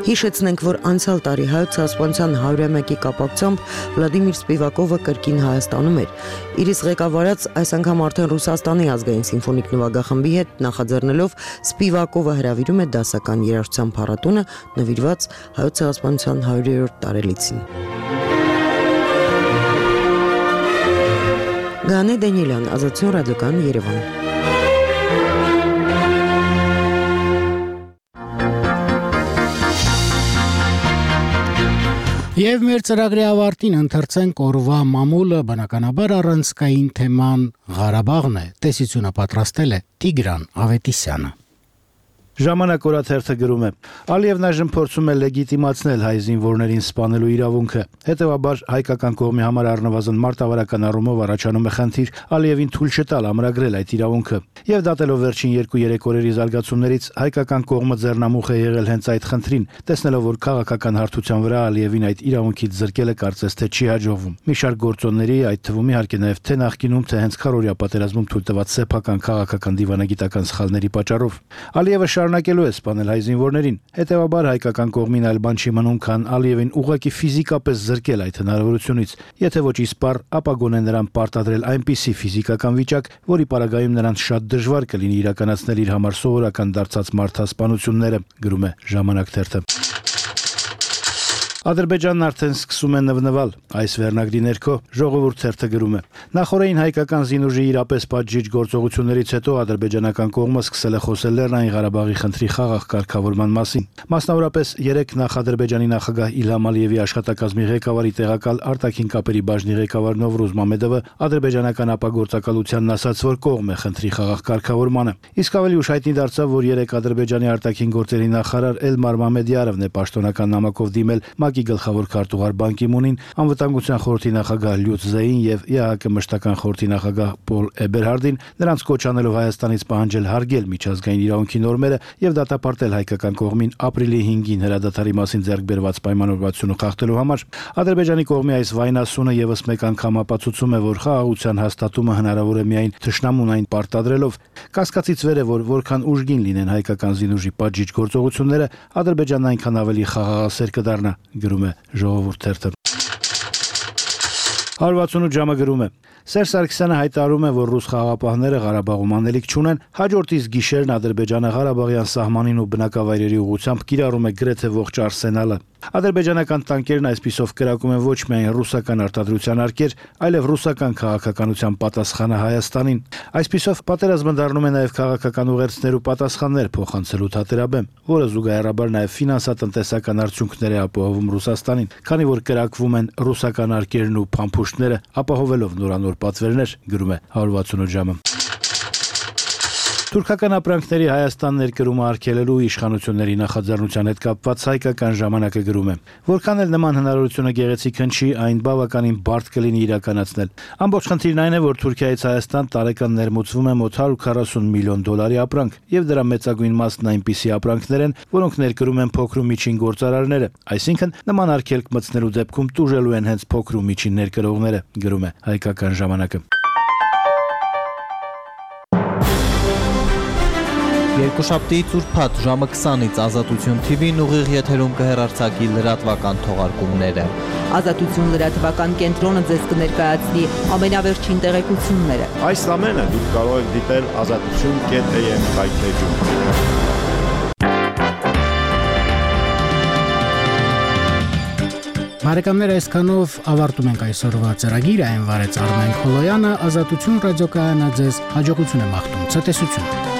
Հիշեցնենք, որ անցյալ տարի հայոց ցեղասպանության 101-ի կապակցությամբ Վլադիմիր Սպիվակովը կրկին Հայաստանում էր։ Իր իսկ ղեկավարած այս անգամ արդեն Ռուսաստանի ազգային սիմֆոնիկ նվագախմբի հետ նախաձեռնելով Սպիվակովը հրավիրում է դասական երաժշտության փառատոնը նվիրված հայոց ցեղասպանության 100-րդ տարելիցին։ Գանե Դանելյան, Ազատություն ռադիոկայան, Երևան։ Եվ մեր ծրագրի ավարտին ընթերցենք օրվա մամուլը, բնականաբար առանցքային թեման Ղարաբաղն է։ Տեսությունը պատրաստել է Տիգրան Ավետիսյանը։ Ժամանակ օրաթերթը գրում է. Ալիևն այժմ փորձում է լեգիտիմացնել հայ զինվորներին սպանելու իրավունքը։ Հետևաբար հայկական կողմի համար առնվազն մարտավարական առումով առաջանում է խնդիր Ալիևին թույլ չտալ ամրագրել այդ իրավունքը։ Եվ դատելով վերջին 2-3 օրերի զարգացումներից հայկական կողմը ձեռնամուխ է եղել հենց այդ խնդրին, տեսնելով որ քաղաքական հարթության վրա Ալիևին այդ իրավունքից զրկելը կարծես թե չի հաջողվում։ Մի շարք գործոնների, այդ թվում իհարկե նաև թե նախկինում, թե հենց քարորիա պատերազմում թույլ տված սեփական քաղաքական դիվանագիտական սխալների պատճառով Ալիևը շարունակելու է սպանել հայ զինվորներին։ Հետևաբար հայկական կողմին այլ բան չի մնում, քան Ալիևին ուղղակի ֆիզիկապես զրկել այդ հնարավորությունից։ Եթե ոչ իսպառ, ապա գոնե նրան պարտադրել այնպիսի ֆիզիկական վիճակ, որի պարագայում նրան շատ դժվար կլինի իրականացնել իր համար սովորական դարձած մարդասպանությունները, գրում է Ժամանակ թերթը։ Ադրբեջանն արդեն սկսում է նվնվալ։ Այս վերնագրի ներքո Ժողովուրդ թերթը գրում է. Նախորդային հայկական զինուժի իրապես պատժիչ գործողություններից հետո ադրբեջանական կողմը սկսել է խոսել Լեռնային Ղարաբաղի խնդրի խաղաղ կարգավորման մասին։ Մասնավորապես երեք նախ Ադրբեջանի նախագահ Իլհամ Ալիևի աշխատակազմի ղեկավարի տեղակալ արտաքին կապերի բաժնի ղեկավար Նովրուզ Մամեդովը ադրբեջանական ապագործակալությանն ասաց, որ կողմ է խնդրի խաղաղ կարգավորմանը։ Իսկ ավելի ուշ հայտնի դարձավ, որ երեք Ադրբեջանի արտաքին գործերի նախարար Էլմար Մամեդյարովն է պաշտոնական նամակով դիմել ՄԱԿ-ի գլխավոր քարտուղար Բան Կի Մունին, Անվտանգության խորհրդի նախագահ Լյուց Զեին եւ ԵԱՀԿ մշտական խորհրդի նախագահ Պոլ Էբերհարդին, նրանց կոչ անելով Հայաստանից պահանջել հարգել միջազգային իրավունքի նորմերը եւ դատապարտել հայկական կողմին ապրիլի 5-ին հրադադարի մասին ձեռք բերված պայմանավորվածությունը խախտելու համար։ Ադրբեջանի կողմի այս վայնասունը եւս մեկ անգամ ապացուցում է, որ խաղաղության հաստատումը հնարավոր է միայն թշնամուն այն պարտադրելով։ Կասկածից վեր է, որ որքան ուժգին լինեն հայկական զինուժի պատժիչ գործողությունները, Ադրբեջանն այնքան ավելի խաղաղասեր կդառնա, գրում է Ժողովուրդ թերթը։ 168 ժամը գրում է. Սերժ Սարգսյանը հայտարարում է, որ ռուս խաղաղապահները Ղարաբաղում անելիք չունեն, հաջորդ իսկ գիշերն Ադրբեջանը Ղարաբաղյան սահմանին ու բնակավայրերի ուղղությամբ կիրառում է գրեթե ողջ արսենալը։ Ադրբեջանական տանկերն այսպիսով կրակում են ոչ միայն ռուսական արտադրության արկեր, այլև ռուսական քաղաքականության պատասխանը Հայաստանին։ Այսպիսով պատերազմը դառնում է նաև քաղաքական ուղերձներ ու պատասխաններ փոխանցելու թատերաբեմ, որը զուգահեռաբար նաև ֆինանսատնտեսական արդյունքներ է ապահովում Ռուսաստանին, քանի որ կրակվում են ռուսական արկերն ու փամփուշտները, ապահովելով նորանոր պատվերներ, գրում է 168 ժամը։ Թուրքական ապրանքների Հայաստան ներկրումը արգելելու իշխանությունների նախաձեռնության հետ կապված հայկական ժամանակը գրում է. Որքան էլ նման հնարավորությունը գեղեցիկ հնչի, այն բավականին բարդ կլինի իրականացնել։ Ամբողջ խնդիրն այն է, որ Թուրքիայից Հայաստան տարեկան ներմուծվում է մոտ 140 միլիոն դոլարի ապրանք, եւ դրա մեծագույն մասն այնպիսի ապրանքներ են, որոնք ներկրում են փոքր ու միջին գործարարները, այսինքն նման արգելք մտցնելու դեպքում տուժելու են հենց փոքր ու միջին ներկրողները, գրում է հայկական ժամանակը։ Երկուշաբթի ծուրփաթ ժամը 20-ից Ազատություն TV-ն ուղիղ եթերում կհեռարձակի լրատվական թողարկումները։ Ազատություն լրատվական կենտրոնը ձեզ կներկայացնի ամենավերջին տեղեկությունները։ Այս ամենը դուք կարող եք դիտել azatutun.am վայթեջում։ Բարեկամներ, այսքանով ավարտում ենք այսօրվա ծրագիրը, այն վարեց Արմեն Խոլոյանը, Ազատություն ռադիոկայանը ձեզ հաջողություն է մաղթում, ցտեսություն։